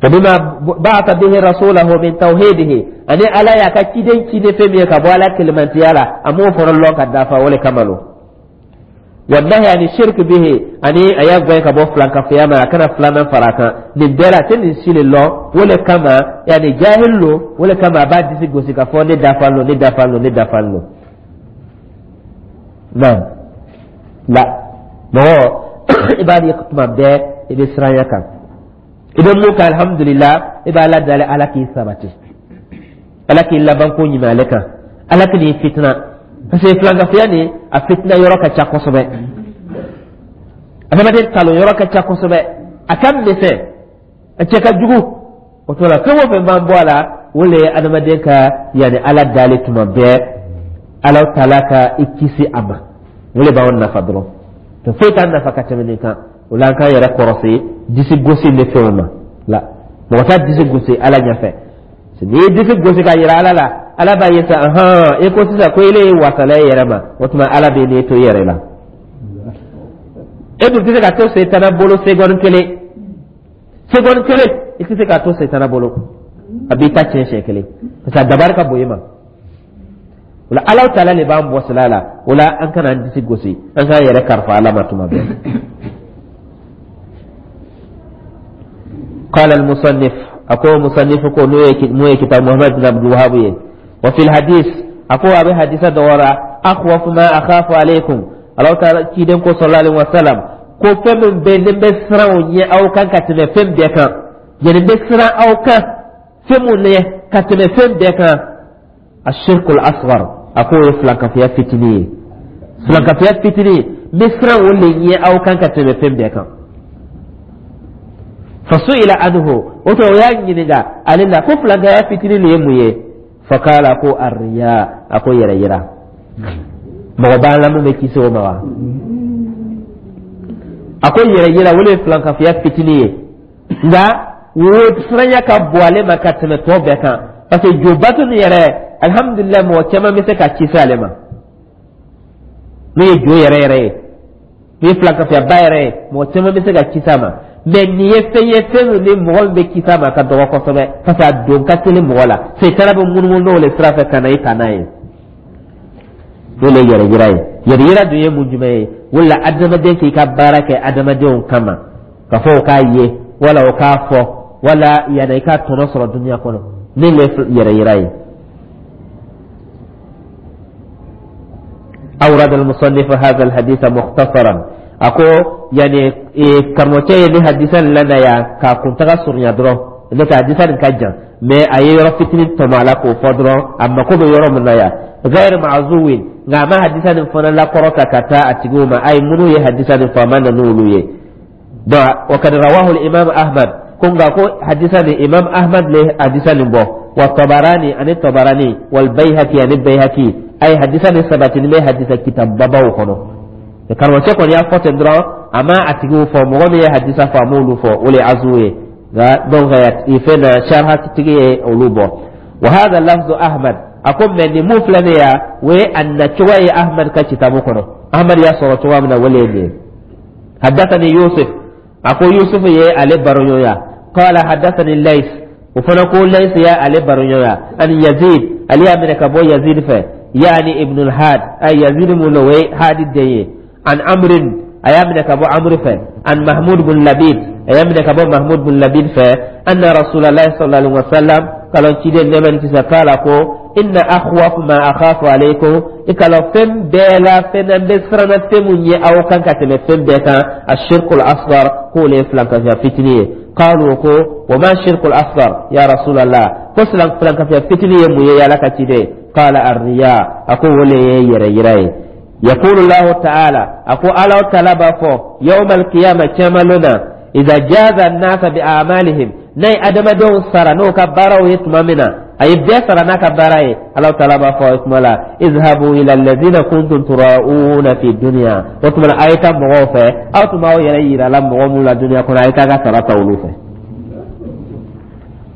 Wa bima ba'atha bihi rasulahu min tawhidihi, ani Ala y'a ka ciden ci ni fɛn min ye ka bɔ Ala kelemantiya la, a m'o fana lɔn ka dafa, o le kama lo. Wa nahi ani shirk bihi, ani a y'a gɛn ka bɔ filankafoya ma, a kana filanan fara a kan. Nin bɛɛ la, a tɛ nin si le lɔn, o le kama, yanni jahil lo, o le kama a b'a disi gosi k'a fɔ ne dafalen lo, ne dafalen lo, ne dafalen lo. Naam, la mɔgɔ i b'a ye tuma bɛɛ i bɛ siranya kan, i bɛ mun kɛ, alhamdulila, i bɛ Ala dali, Ala k'i sabati, Ala k'i laban ko ɲuman ale kan, Ala k'i fitina, parce que filankafoya nin, a fitina yɔrɔ ka ca kosɛbɛ, adamaden talon yɔrɔ ka ca kosɛbɛ, a ka misɛn, a cɛ ka jugu. O to la, fɛn o fɛn b'an bɔ a la, o le ye adamaden ka yanni Ala dali tuma bɛɛ, Ala taala ka i kisi a ma, o le b'anw nafa dɔrɔn, to foyi t'an nafa ka tɛmɛ nin kan. O la, an k'an yɛrɛ kɔrɔsi disi gosi ni fɛnw ma la. Mɔgɔ t'a disi gosi Ala ɲɛfɛ. N'i ye disi gosi ka yira Ala la, Ala b'a ye sa, ahan, e ko sisan ko ele ye wasala e yɛrɛ ma, o tuma Ala bɛ n'e to i yɛrɛ la. E dun tɛ se ka to setana bolo seconde kelen, seconde kelen i tɛ se ka to setana bolo, a b'i ta tiɲɛ siɲɛ kelen, parce que a dabari ka bon i ma. O la, Ala taala de b'an bɔ sira la. O la, an kana an disi gosi, an k'an yɛrɛ kalifa Ala ma tuma bɛɛ. قال المصنف, أكو مصنف كو مو كتاب محمد بن عبد الوهاب, وفي الحديث, أكو أبي حديث دورا, أخوف ما أخاف عليكم, الله تعالى كيدن كو صلى الله عليه وسلم ko fɛn min bɛ ne bɛ siran o ɲɛ aw kan ka tɛmɛ fɛn bɛɛ kan, yani n bɛ siran aw kan fɛn mun ɲɛ ka tɛmɛ fɛn bɛɛ kan, ashirkul asghar, a k'o ye filankafoya fitinin ye. Filankafoya fitinin, n bɛ siran o le ɲɛ aw kan ka tɛmɛ fɛn bɛɛ kan. Fasu'ila anhu, o to o y'a ɲininka ale la ko filankaya fitinin nin ye mun ye? Fakala, ko arriya, a ko yɛrɛ yira. Mɔgɔ b'an la mun bɛ kisi o ma wa? A ko yɛrɛ yira, o le ye filankafoya fitinin ye, nka o siranya ka bon ale ma ka tɛmɛ tɔ bɛɛ kan. Parce que jo bato nin yɛrɛ, alhamdulilayi, mɔgɔ caman bɛ se ka kisi ale ma. N'o ye jo yɛrɛ yɛrɛ ye, n'o ye filankafiyaba yɛrɛ ye, mɔgɔ caman bɛ se ka kisi a ma. Mais nin ye fɛn ye, fɛn min ni mɔgɔ min bɛ kisi a ma ka dɔgɔ kosɛbɛ, parce que a don ka teli mɔgɔ la. Setana bɛ munumunu n'o le sira fɛ ka na i ta n'a ye. N'o le ye yɛrɛ yira ye. Yɛrɛ yira dun ye mun jumɛn ye? O la, adamaden k'i ka baara kɛ adamadenw kama, ka fɔ o k'a ye wala o k'a fɔ wala yanni i ka tɔnɔ sɔrɔ dunuya kɔnɔ, ne le yɛrɛ yira ye. أورد المصنف هذا الحديث مختصرا. Ako yani karamɔgɔcɛ ye ni hadisa nin lana yan k'a kuntaga surunya dɔrɔn. Ne ka hadisa nin ka jan, mais a ye yɔrɔ fitinin tɔmɔ a la k'o fɔ dɔrɔn, a mako bɛ yɔrɔ min na yan. غير معزو, nka a ma hadisa nin fana lakɔrɔta ka taa a tigiw ma. Ayi, minnu ye hadisa nin fɔ, a ma na n'olu ye. Donc وقد رواه الإمام أحمد, ko nka ko hadisa nin, Imam Ahmad le hadisa nin bɔ, wa Tabarani, ani Tabarani, wal Bayhaqi, ani Bayhaqi. Ayi, hadisa nin sabatini bɛ hadisa kitababaw kɔnɔ. Karamɔgɔcɛ kɔni y'a fɔ ten dɔrɔn, a ma a tigiw fɔ. Mɔgɔ min ye hadisa fɔ, a m'olu fɔ, o le ye azu ye. Nka donc fɛn na sharhatigi ye olu bɔ. Wa hadha lafzu Ahmad. A ko mais nin mun filɛ nin ye yan, o ye a nacogo ye Ahmad ka kitabu kɔnɔ. Ahmad y'a sɔrɔ cogoya min na, o le ye nin ye. Haddathani Yusuf, a ko Yusuf ye ale baroɲɔgɔnya. Qala haddathani Lays, o fana ko Lays ye ale baroɲɔgɔnya. Ani Yazid, ale y'a minɛ ka bɔ Yazid fɛ, yaani Ibn al-Had, ay Yazid mun o ye Hadi den ye. An Amrin, a y'a minɛ ka bɔ Amr fɛ. An Mahmud bin Labid, a y'a minɛ ka bɔ Mahmud bin Labid fɛ. Anna Rasulallah sallallahu alaihi wasallam, kalon ciden nɛɛma ni kisi kala ko inna akhwaf ma akhafu alaykum, i k'a lɔn fɛn bɛɛ la, fɛn na n bɛ siranna fɛn mun ye aw kan ka tɛmɛ fɛn bɛɛ kan, ashirkul asghar, k'o le ye filankafiya fitinin ye. Qalu, ko wa ma shirkul asghar ya Rasulallah? Ko filankafiya fitinin ye mun ye, Ala ka ciden? Qala arriya, a ko o le ye yɛrɛ yira ye. Yaqulu Allahu ta'ala, a ko Ala ta'ala b'a fɔ yawmal qiyamah, cɛmalon na, idha jaza an-nasa bi a'malihim, n'a ye adamadenw sara n'o ka baaraw ye tuma min na, a ye bɛɛ sara n'a ka baara ye, Ala ta'ala b'a fɔ o tuma la: izhabu ila allazina kuntum tura'una fi dunya. O tuma na, a ye taa mɔgɔw fɛ, aw tun b'aw yɛrɛ yira la mɔgɔ minnu la dunuya kɔnɔ, a ye taa ka sara ta olu fɛ.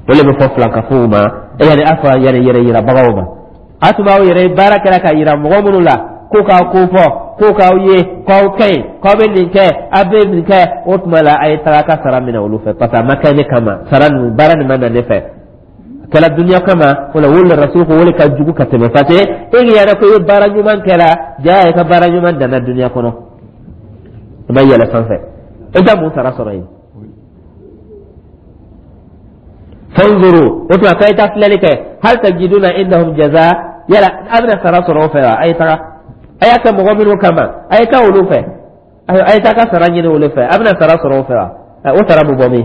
O de bɛ fɔ filankafow ma, yani a fɔ yɛrɛ yɛrɛ yirabagaw ma. A tun b'aw yɛrɛ baara kɛra ka yira mɔgɔ minnu la ko k'aw ko fɔ, ko k'aw ye k'aw ka ɲi, k'aw bɛ nin kɛ, aw bɛ nin kɛ, o tuma la, a ye taga ka sara minɛ olu fɛ, parce que a ma kɛ ne kama. Sara ninnu, baara nin ma na ne fɛ, a kɛra dunuya kama. O la, o le Rasul ko o le ka jugu ka tɛmɛ, parce que e k'i yɛrɛ ko i ye baara ɲuman kɛra, jaa i ka baara ɲuman danna dunuya kɔnɔ, i ma yɛlɛ sanfɛ, e tɛ mun sara sɔrɔ yen. Fanzuru, o tuma k'a ye taa filɛli kɛ, hal tajiduna indahum jaza, yala a bɛna sara sɔrɔ o fɛ wa? A ye taga, a y'a kɛ mɔgɔ minnu kama, a ye taa olu fɛ, a ye taa ka sara ɲini olu fɛ, a bɛna sara sɔrɔ o fɛ wa? O sara bɛ bɔ min?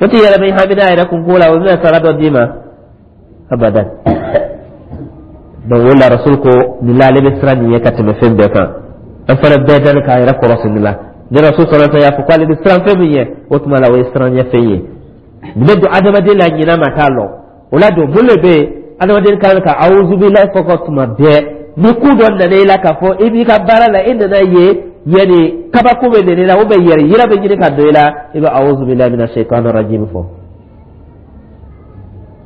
O t'i yɛrɛ bɛ hami n'a yɛrɛ kunko la, o bɛna sara dɔ d'i ma abadan. Donc o la, Rasul ko nin la, ale bɛ siran nin ye ka tɛmɛ fɛn bɛɛ kan. An fana bɛɛ dani k'a yɛrɛ kɔlɔsi nin la. Ni Rasul sɔrɔ y'a fɔ k'ale bɛ siran fɛn min ye, o tuma la, o ye siran ɲɛ fɛn ye. Nin bɛ don adamaden la, ɲinɛ ma t'a lɔ. O la don, mun de bɛ yen? Adamaden kan ka awuzubilayi fɔ ka tuma bɛɛ. Ni ko dɔ nana i la, k'a fɔ i b'i ka baara la, i nana ye yanni kabako bɛ nana i la, ou bien yɛrɛ yira bɛ ɲini ka don i la, i bɛ awuzubilayi mina shaitan rajim fɔ.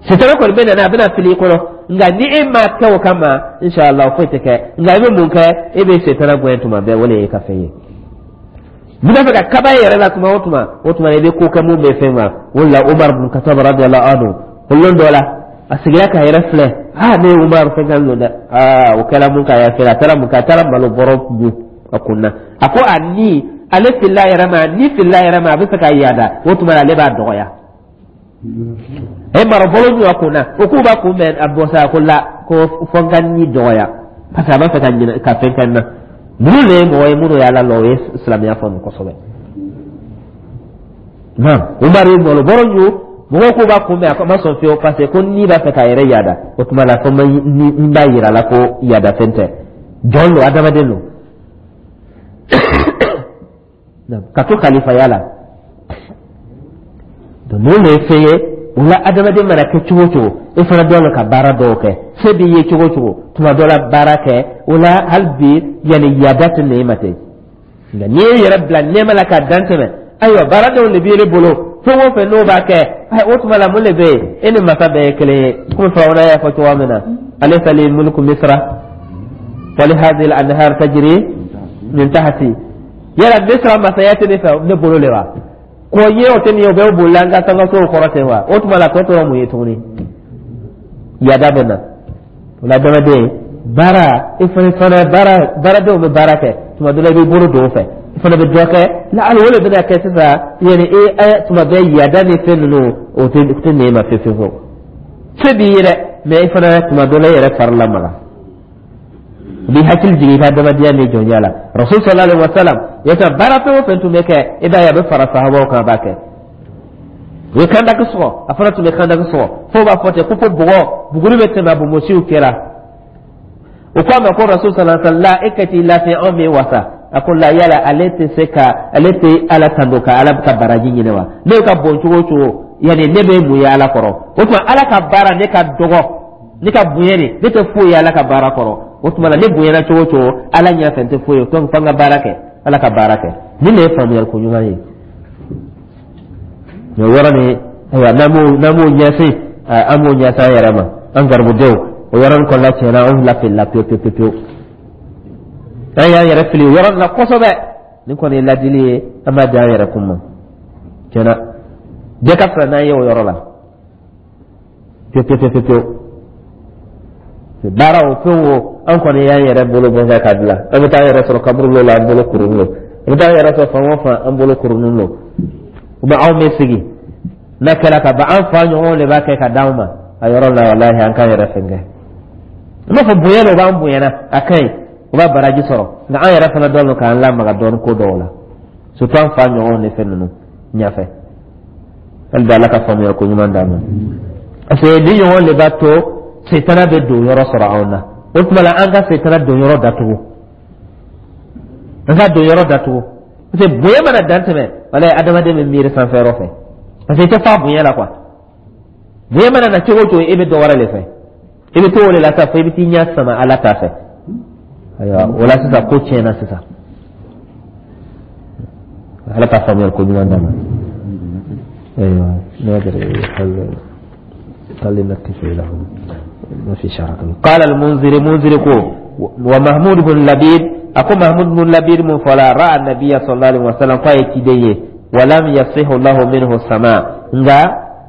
Sitana kɔni bɛ nana, a bɛna fili i kɔnɔ, nka ni e ma kɛ o kama, inshallah foyi tɛ kɛ. Nka i bɛ mun kɛ? E bɛ sitana gɛn tuma bɛɛ, o de ye ka fɛn ye. N'i b'a fɛ ka kaba i yɛrɛ la tuma o tuma, o tuma i bɛ ko kɛ mun bɛ fɛn ma. O de la, Umar bin Khattab radiyallahu anhu, o lon dɔ la, a sigira k'a yɛrɛ filɛ. Aa, ne ye Umar fɛn kan don dɛ. Aa, o kɛra mun k'a yɛrɛ filɛ, a taara mun kɛ? A taara malo bɔrɔ dun a kun na. A ko a ni ale filila a yɛrɛ ma, a ni filila a yɛrɛ ma, a bɛ fɛ ka yaada. O tuma ale b'a dɔgɔya. A ye malo bɔrɔ dun a kun na, o k'u b'a kunbɛn, a bɔ sa, a ko la, ko fo n ka ni dɔgɔya, parce que a b'a fɛ ka ɲinɛ ka fɛn kɛ n na. Ninnu de ye mɔgɔ ye minnu ye Ala lɔn, o ye silamɛya faamu kosɛbɛ. Naam, Umaru ye malo bɔrɔ ɲu, mɔgɔw k'u b'a kunbɛn, a ma sɔn fiyewu, parce que ko ni b'a fɛ k'a yɛrɛ yaada. O tuma la, fo n b'a yira la ko yaada fɛn tɛ, jɔn don, adamaden don, ka to kalifaya la. Donc ninnu de ye fɛn ye. O la, adamaden mana kɛ cogo o cogo, e fana dɔn la ka baara dɔw kɛ, se b'i ye cogo o cogo, tuma dɔ la baara kɛ o la, hali bi yanni yaada tɛ na e ma ten. Nka n'i y'i yɛrɛ bila nɛɛma la k'a dan tɛmɛ, ayiwa, baara dɔw de b'i bolo. Fɛn o fɛn n'o b'a kɛ, o tuma la mun de bɛ yen? E ni masa bɛɛ ye kelen ye, komi Firawuna y'a fɔ cogoya min na: "Alaysa li mulku Misra wa li hadhihi al-anhar tajri min tahti." Yala Misra masaya tɛ ne fɛ, ne bolo de wa? K'o ye o tɛ nin ye, o bɛ bolila an ka sankasow kɔrɔ ten wa? O tuma la tɔ tora mun ye tuguni? Yada bɛ na o la. Adamaden baara, i fana baara, baaradenw bɛ baara kɛ, tuma dɔ la i b'i bolo don o fɛ, i fana bɛ dɔ kɛ la. Hali o de bɛna kɛ sisan, yanni e tuma bɛɛ yada ni fɛn ninnu, o tɛ nɛ ma fewu fewu. Se b'i ye dɛ, mɛ i fana tuma dɔ la i yɛrɛ fari lamaga, u b'i hakili jigin i ka adamadenya ni jɔnya la. Rasul sallallahu alaihi wa sallam yasa, baara fɛn o fɛn tun bɛ kɛ, i b'a ye a bɛ fara sahabaw kan, a b'a kɛ. U ye kandaki sɔgɔ, a fana tun bɛ kandaki sɔgɔ, fo b'a fɔ ten ko fo bɔgɔ buguri bɛ tɛmɛ a bonbonsiw kɛra. U ko a ma ko: "Rasul sallallahu alaihi wa sallam, e ka t'i lafiya, anw bɛ wasa." A ko la, yala ale tɛ se ka ale tɛ Ala tando ka Ala ka baraji ɲini wa? Ne ka bon cogo o cogo, yanni ne bɛ mun ye Ala kɔrɔ? O tuma Ala ka baara, ne ka dɔgɔ, ne ka bonya de, ne tɛ foyi ye Ala ka baara kɔrɔ. O tuma la ne bonyana cogo o cogo Ala ɲɛfɛ, n tɛ foyi ye. Donc fo n ka baara kɛ, Ala ka baara kɛ. Nin de ye faamuyali ko ɲuman ye. Mɛ o yɔrɔ nin, ayiwa, n'an m'o ɲɛsin, an b'o ɲɛsin an yɛrɛ ma, an garibudenw. O yɔrɔ nin kɔnɔna tiɲɛna, anw lafilila pewu pewu pewu, an y'an yɛrɛ fili o yɔrɔ nin na kosɛbɛ. Nin kɔni ye ladili ye, an b'a di an yɛrɛ kun ma. Tiɲɛna, bɛɛ ka fisa n'an ye o yɔrɔ la pewu pewu pewu pewu. Baara o fɛn o, an kɔni y'an yɛrɛ bolo bɔ kɛ ka bila, an bɛ taa an yɛrɛ sɔrɔ kaburu la, an bolo kurunin don. An bɛ taa an yɛrɛ sɔrɔ fan o fan, an bolo kurunin don. U bɛ anw bɛ sigi n'a kɛra ka ban, an fa ɲɔgɔnw de b'a kɛ ka d'anw ma a yɔrɔ la. Walahi, an k'an yɛrɛ fɛn kɛ. N b'a fɔ bonya de, o b'an bonyana, a ka ɲi, o b'a baraji sɔrɔ, nka an yɛrɛ fana dɔn k'an lamaga dɔɔni ko dɔw la, surtout an fa ɲɔgɔnw ni fɛn ninnu ɲɛfɛ. Hali bi Ala ka faamuya ko ɲuman d'an ma, parce que ni ɲɔgɔn de b'a to setana bɛ don yɔrɔ sɔrɔ anw na. O tuma la an ka setana don yɔrɔ datugu, an ka don yɔrɔ datugu, parce que bonya mana dan tɛmɛ, walayi, adamaden bɛ miiri sanfɛ yɔrɔ fɛ, parce que i tɛ fa bonya la quoi. Bonya mana na cogo o cogo, e bɛ dɔ wɛrɛ de fɛ, i bɛ to o de la sa, fo i bɛ t'i ɲɛ sama Ala ta fɛ. Ayiwa, o la sisan ko tiɲɛna sisan. Ala ka faamuya ko ɲuman d'an ma. Ayiwa, هل نكتفي إلى هنا؟ ما في شرك. قال المنذر، منذر كو: ومحمود بن لبيد، أكو محمود بن لبيد من فلا رأى النبي صلى الله عليه وسلم فايتي ولم يصح له منه السماع. Nga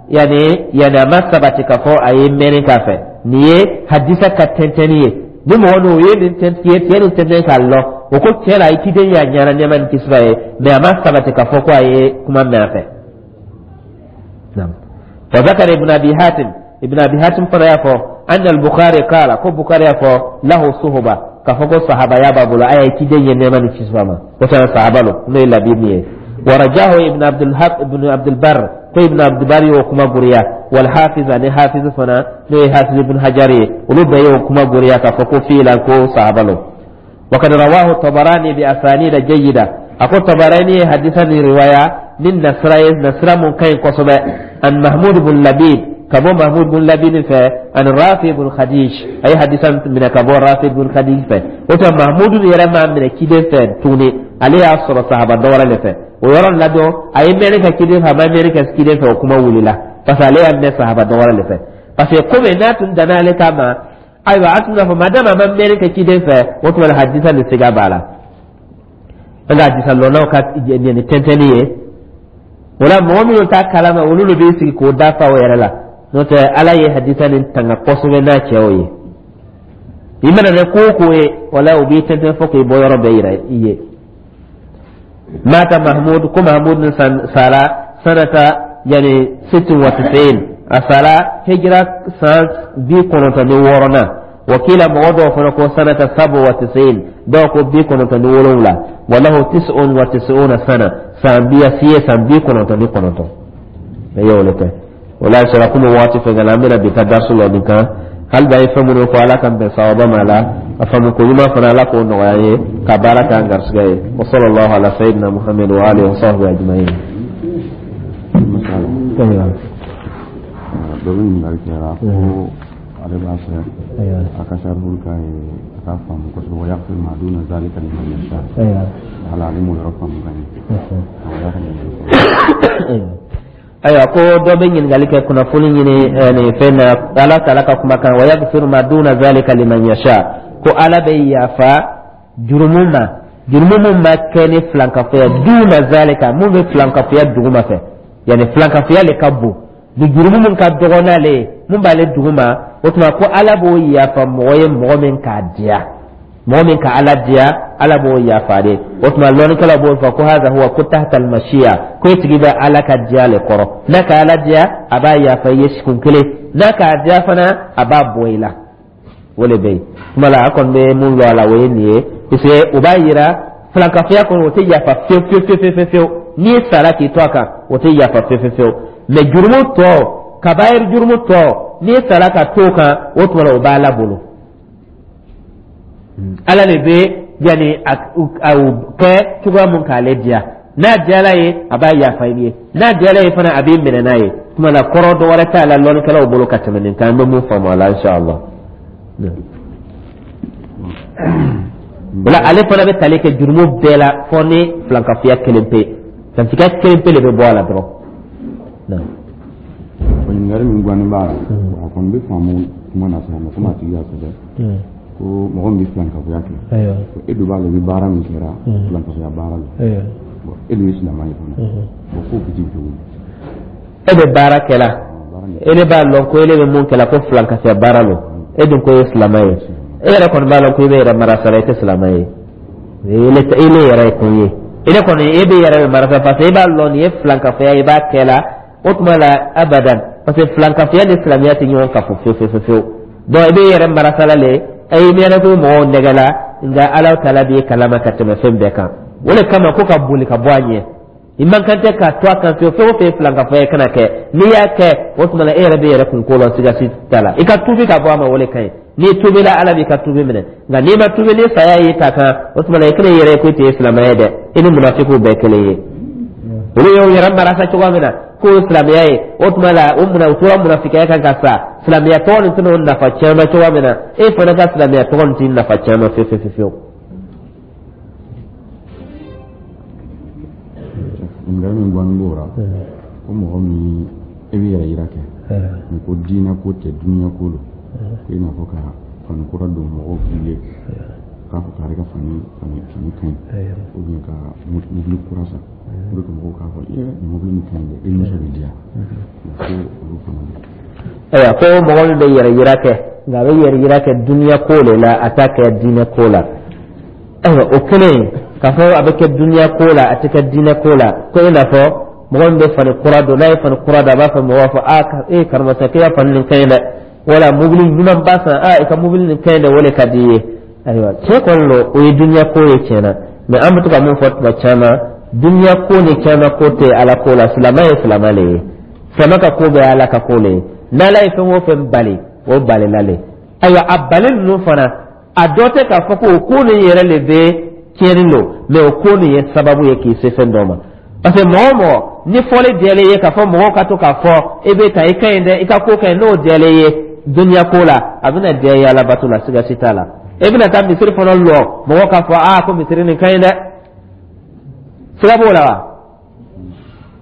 yani a ma sabati k'a fɔ a ye mɛnni k'a fɛ. Nin ye hadisa ka tɛntɛnni ye. Ni mɔgɔ n'o ye nin tɛntɛn ye nin tɛntɛn k'a lɔ, o ko tiɲɛ la a ye ciden ye, a ɲɛna, nɛɛma ni kisi b'a ye, mɛ a ma sabati k'a fɔ ko a ye kuma mɛn a fɛ. وذكر ابن أبي حاتم، ابن أبي حاتم فنا يفو أن البخاري قال، كو بخاري يفو له صحبة، كفوكو صحابة يا بابولا أي كيدين ينما نتشفما وكان صحابة له نو إلا بيبني. ورجاه ابن عبد الحق، ابن عبد البر، كو ابن عبد البر وكما غوريا، والحافظ أن حافظ فنا نو حافظ ابن حجر ولو بيو كما غوريا كفوكو فيلا كو صحابة له. وقد رواه الطبراني بأسانيد جيدة. أكو طبراني حديثا رواية من نصر نصر من كاين قصبة عن محمود بن لبيد، كبو محمود بن لبيد ف عن رافع بن خديج، أي حديثا من كبو رافع بن خديج ف وتا محمود يرى من كيدن ف توني عليه أصر الصحابة دورة لف ويرى لدو أي ملك كيدن فما ملك كيدن ف وكما ولي لا بس عليه أن الصحابة دورة لف بس يقوم ناتن دنا لكما. أيوة، أتنا فما دام ما ملك كيدن ف وتما الحديثا لسيغا la an ka hadisa lɔnnaw ka nin tɛntɛnni ye. O la mɔgɔ minnu t'a kalama, olu de b'i sigi k'o dafa o yɛrɛ la. N'o tɛ, Ala ye hadisa nin tanga kosɛbɛ n'a cɛw ye. I mana kɛ ko o ko ye, wala o b'i tɛntɛn fo k'i bɔ yɔrɔ bɛɛ yira i ye. مات محمود، كو محمود سارا سنة يعني 96، أسارا هجرة سنة 96. وقيل موضوع فنكو سنة 97، دوكو 97. وله 99 سنة، san biya siye san 99 e y'o le kɛ. O la sɔrɔ komi waati fɛn kɛla, an bɛna bi ka darisu lɔ nin kan. Hali bi a ye fɛn minnu fɔ, Ala ka bɛn sawaba ma la, a faamu ko ɲuman fana, Ala k'o nɔgɔya an ye ka baara k'an garisɛgɛ ye. Wa sallallahu ala sayyidina Muhammad wa alihi wa sahbihi ajma'in. Dɔ bɛ ɲininkali kɛra ko ale b'a fɛ a ka sarihul ka ye, a k'a faamu kosɛbɛ. Wa yaghfir ma duna zalika liman yasha. Wala ale m'o yɔrɔ faamu ka ɲɛ, a y'a ka ɲininkali. Ayiwa, ko dɔ bɛ ɲininkali kɛ, kunnafoni ɲini nin fɛn na, Ala taala ka kumakan wa yaghfiru ma duna zalika liman yasha, ko Ala bɛ yafa jurumu ma, jurumu mun ma kɛ ni filankafoya, duna zalika, mun bɛ filankafoya duguma fɛ, yani filankafoya le ka bon ni jurumu mun ka dɔgɔ n'ale ye, mun b'ale duguma. O tuma ko Ala b'o yafa mɔgɔ ye, mɔgɔ min k'a diya, mɔgɔ min ka Ala diya, Ala b'o yafa de. O tuma lɔnnikɛlaw b'o fɔ ko haza huwa ko tahta almashiya, ko e tigi bɛ Ala ka diya le kɔrɔ. N'a ka Ala diya, a b'a yafa i ye kun kelen, n'a k'a diya fana, a b'a bɔ i la. O le bɛ yen. Tuma la, a kɔni bɛ mun lɔ a la, o ye nin ye, parce que o b'a yira filankafoya kɔni, o tɛ yafa fiyewu fiyewu fiyewu fiyewu fiyewu. N'i sara k'i to a kan, o tɛ yafa fiyewu fiyewu fiyewu. Mais jurumu tɔ, kabayiri jurumu tɔ, n'i sara ka to o kan, o tuma la o b'Ala bolo. Ala de bɛ yanni a kɛ cogoya mun k'ale diya. N'a diyala ye, a b'a yafa i ye, n'a diyala ye fana, a b'i minɛ n'a ye. Tuma la, kɔrɔ dɔ wɛrɛ t'a la lɔnnikɛlaw bolo ka tɛmɛ nin kan, an bɛ mun faamu a la, inshallah. O la, ale fana bɛ tali kɛ jurumu bɛɛ la fɔ ni filankafoya kelen pe, filankafoya kelen pe de bɛ bɔ a la dɔrɔn. Ɲininkali min gannen b'a la, a kɔni bɛ faamu kuma na sa, mais komi a tigi y'a sɛbɛn ko mɔgɔ min bɛ filankafoya kɛ, ko e dun b'a dɔn i bɛ baara min kɛra, filankafoya baara la, bon, e dun ye silamɛ ye fana, bon, k'o bɛ cogo di? E bɛ baara kɛ la, e ne b'a lɔn ko ele bɛ mun kɛ la, ko filankafoya baara lo, e dun ko e ye silamɛ ye, e yɛrɛ kɔni b'a lɔn ko i bɛ yɛrɛ marasara, i tɛ silamɛ ye, ele yɛrɛ ye kun ye, ele kɔni e bɛ yɛrɛ bɛ marasa, parce que e b'a lɔn nin ye filankafoya ye, i b'a kɛ la. O tuma la, abadan, parce que filankafoya ni silamɛya tɛ ɲɔgɔn kafo fiyewu fiyewu fiyewu. Donc i bɛ yɛrɛ marasala le, i miiri ko mɔgɔw nɛgɛ la, nka Ala taala b'i kalama ka tɛmɛ fɛn bɛɛ kan. O de kama ko ka boli ka bɔ a ɲɛ, i man kan tɛ ka to a kan fiyewu. Fɛn o fɛn ye filankafoya ye, kana kɛ. N'i y'a kɛ, o tuma la e yɛrɛ bɛ yɛrɛ kun ko la, siga si t'a la. I ka tuubi ka bɔ a ma, o de ka ɲi. N'i tuubila, Ala b'i ka tuubi minɛ, nka n'i ma tuubi, ni saya y'i ta kan, o tuma la i kana i yɛrɛ ye ko i tɛ ye silamɛya ye dɛ, i ni munafikiw bɛɛ kelen ye. Olu y'o yɛrɛ marasa cogoya min na k'o ye silamɛya ye, o tuma la o munna u tora munafikiya kan ka sa? Silamɛya tɔgɔ nin tɛna o nafa caman cogoya min na, e fana ka silamɛya tɔgɔ nin t'i nafa caman fiyewu fiyewu fiyewu. Ɲininkali min gannen b'o la, ko mɔgɔ min e bɛ yɛrɛ yira kɛ, nin ko diinɛ ko tɛ, duniya ko don, ko i n'a fɔ ka fani kura don mɔgɔw k'i ye k'a fɔ k'ale ka fani fani fani ka ɲi, ou bien ka mobili kura san pour que mɔgɔw k'a fɔ ee, nin mobili nin ka ɲi dɛ, i nisɔn bɛ diya, ko olu fana bɛ. Ayiwa, ko mɔgɔ min bɛ yɛrɛ yira kɛ, nka a bɛ yɛrɛ yira kɛ duniya ko de la, a t'a kɛ diinɛ ko la. Ayiwa, o kelen k'a fɔ a bɛ kɛ duniya ko la, a tɛ kɛ diinɛ ko la, ko i n'a fɔ mɔgɔ min bɛ fani kura don, n'a ye fani kura don, a b'a fɔ mɔgɔw b'a fɔ aa, e karamɔgɔ, k'e ka fani nin ka ɲi dɛ, wala mobili ɲumanba san, aa, i ka mobili nin ka ɲi dɛ, o de ka di i ye. Ayiwa, tiɲɛ kɔni don, o ye duniya ko ye tiɲɛ na, mais an bɛ to ka mun fɔ tuma caman, duniya ko ni caman ko tɛ Ala ko la. Silamɛ ye silamɛ le ye, silamɛ ka ko bɛɛ ye Ala ka ko le ye. N'Ala ye fɛn o fɛn bali, o balila le. Ayiwa, a bali ninnu fana, a dɔ tɛ k'a fɔ ko o ko nin yɛrɛ le bɛ tiɲɛni don, mais o ko nin ye sababu ye k'i se fɛn dɔ ma, parce que mɔgɔ o mɔgɔ ni fɔli diyalen ye, k'a fɔ mɔgɔw ka to k'a fɔ e bɛ ta i ka ɲi dɛ, i ka ko ka ɲi, n'o diyalen ye duniya ko la, a bɛna diya i ye alabato la, siga si t'a la. E bɛna taa misiri fana lɔ, mɔgɔw k'a fɔ aa, ko misiri nin ka ɲi dɛ, siga b'o la wa?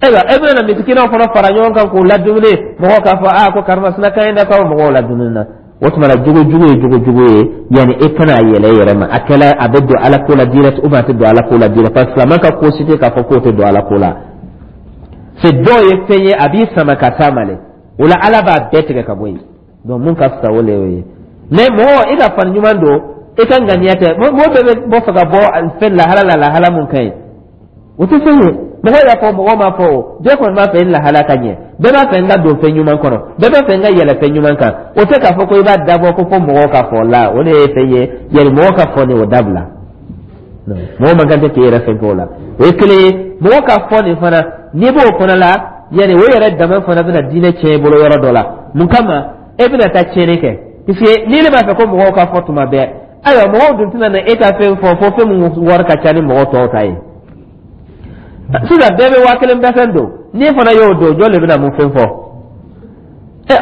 Ayiwa, e bɛna misikinaw fana fara ɲɔgɔn kan k'u ladumuni, mɔgɔw k'a fɔ aa, ko karimasina ka ɲi dɛ, k'aw mɔgɔw ladumuni na. O tuma la, jogo jugu ye jogo jugu ye, yanni e kana a yɛlɛ i yɛrɛ ma, a kɛla a bɛ don Ala ko la direct ou bien a tɛ don Ala ko la direct, parce que silamɛ ka ko si tɛ k'a fɔ k'o tɛ don Ala ko la. C'est dɔw ye fɛn ye, a b'i sama ka s'a ma le, o la Ala b'a bɛɛ tigɛ ka bɔ yen. Donc mun ka fisa, o le y'o ye. Mais mɔgɔ i ka fani ɲuman don, i ka ŋaniya tɛ, mɔgɔ bɛɛ bɛ bɔ fɛ ka bɔ fɛn lahala la, lahala mun ka ɲi, o tɛ fɛn ye. Mɔgɔ y'a fɔ, mɔgɔ m'a fɔ, o bɛɛ kɔni b'a fɛ i lahala ka ɲɛ, bɛɛ b'a fɛ n ka don fɛn ɲuman kɔnɔ, bɛɛ b'a fɛ n ka yɛlɛ fɛn ɲuman kan. O tɛ k'a fɔ ko i b'a dabɔ ko fo mɔgɔw ka fɔ la, o de ye fɛn ye, yɛlɛ mɔgɔ ka fɔ nin, o dabila. Mɔgɔ man kan tɛ k'i yɛrɛ fɛn k'o la, o ye kelen ye. Mɔgɔ ka fɔ nin fana, n'i b'o fana la, yanni o yɛrɛ dama fana bɛna diinɛ tiɲɛ i bolo yɔrɔ dɔ la. Mun kama e bɛna taa tiɲɛni kɛ? Puisque ni ne b'a fɛ ko mɔgɔw ka fɔ tuma bɛɛ, ayiwa, mɔgɔw dun tɛna na e ka fɛn fɔ fo fɛn min wari ka ca ni mɔgɔ tɔw ta ye. Sisan bɛɛ bɛ 1000 bɛsɛn don, n'i fana y'o don, jɔn de bɛna mun fɛn fɔ?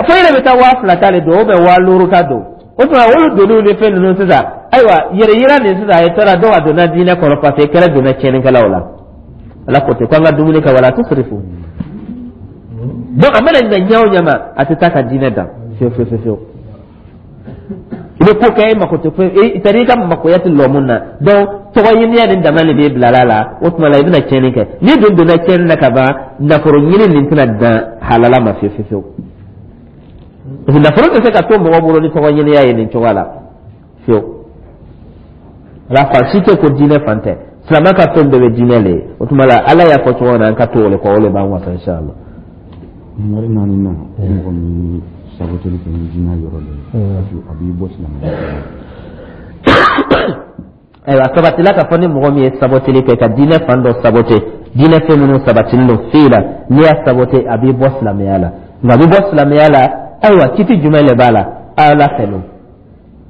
Fo e yɛrɛ bɛ taa 2000 ta de don ou bien 5000 ta don. O tuma olu doniw ni fɛn ninnu sisan, ayiwa, yɛrɛ yira nin sisan, a ye taara dɔw a donna diinɛ kɔnɔ, parce que kɛlɛ donna tiɲɛnikɛlaw la. Ala ko ten ko an ka dumuni kɛ, wala tusirifu. Donc a mana na ɲɛ o ɲɛ ma, a tɛ taa ka diinɛ dan fiyewu fiyewu fiyewu. I bɛ ko kɛ, e mako tɛ foyi, c'est à dire i ka makoya tɛ lɔ mun na. Donc tɔgɔ ɲiniya ni dama de b'e bila la. O tuma la, i bɛna tiɲɛni kɛ. N'i dun donna tiɲɛni na ka ban, nafolo ɲini nin tɛna dan halala ma fiyewu fiyewu, parce que nafolo tɛ se ka to mɔgɔ bolo ni tɔgɔ ɲiniya ye nin cogoya la fiyewu. Ala fan si tɛ ko diinɛ fan tɛ, silamɛ ka fɛn bɛɛ bɛ diinɛ le ye. O tuma la, Ala y'a fɔ cogo min na, an ka to o le kɔ, o le b'an wasa, inshallah. Ɲininkali naani na, mɔgɔ min saboteli kɛ ni diinɛ yɔrɔ dɔ ye, parce que a b'i bɔ silamɛya kɔnɔ? Ayiwa, sabatila k'a fɔ ni mɔgɔ min ye saboteli kɛ, ka diinɛ fan dɔ sabote, diinɛ fɛn minnu sabatilen don f'i la, n'i y'a sabote, a b'i bɔ silamɛya la. Nka a b'i bɔ silamɛya la, ayiwa, kiti jumɛn de b'a la? Ala fɛ don.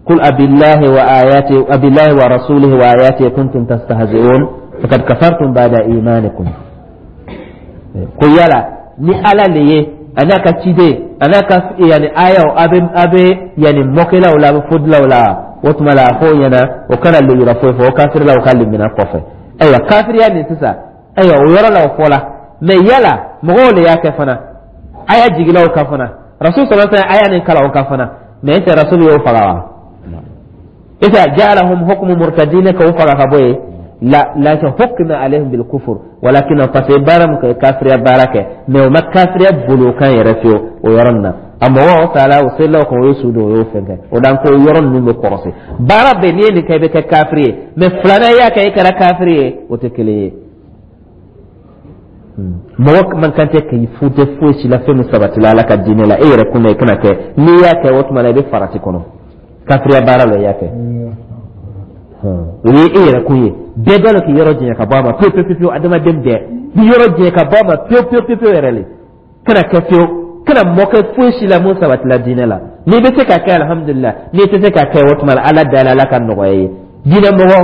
قل أبالله وآياته أبالله ورسوله وآياته كنتم تستهزئون فقد كفرتم بعد إيمانكم. Ko yala ni Ala le ye, a n'a ka ciden, a n'a ka yani ayaw, a bɛ yani mɔkɛlaw la, a bɛ fodilaw la, o tuma la a fɔ o ɲɛna o kana lewura foyi fɔ o kafirilaw ka limina kɔfɛ. Ayiwa, kafiriya nin sisan, ayiwa, o yɔrɔ la o fɔla. Mɛ yala mɔgɔw le y'a kɛ fana, aya jigila o kan fana, Rasul sallallahu alaihi wasallam aya nin kalan o kan fana, mɛ est Rasul y'o faga wa? Est ja'alahum hukmu murtadina ka o faga ka bɔ yen? La, lakin hukma alaihim bil kufur, walakin parce que baara mun kɛ, kafiriya baara kɛ, mɛ o ma kafiriya bolo kan yɛrɛ fiyewu o yɔrɔ nin na. A mɔgɔw taala o selilaw kan, o ye su don, o y'o fɛn kɛ o dan ko yɔrɔ ninnu bɛ kɔrɔsi. Baara bɛɛ n'i ye nin kɛ, i bɛ kɛ kafiri ye, mɛ filanan i y'a kɛ, i kɛra kafiri ye, o tɛ kelen ye. Mɔgɔ man kan tɛ k'i fute foyi si la, fɛn min sabatila Ala ka diinɛ la, e yɛrɛ kun na, i kana kɛ. N'i y'a kɛ, o tuma na i bɛ farati kɔnɔ, kafiriya baara la i y'a kɛ, o ye e yɛrɛ kun ye. Bɛɛ b'a dɔn k'i yɔrɔ janya ka bɔ a ma pewu pewu pewu. Adamaden bɛɛ b'i yɔrɔ janya ka bɔ a ma pewu pewu pewu pewu yɛrɛ le. Kana kɛ fiyewu, kana mɔkɛ foyi si la mun sabatila diinɛ la. N'i bɛ se ka kɛ, alihamudulila. N'i tɛ se ka kɛ, o tuma na Ala da la, Ala ka nɔgɔya ye. Diinɛ mɔgɔ,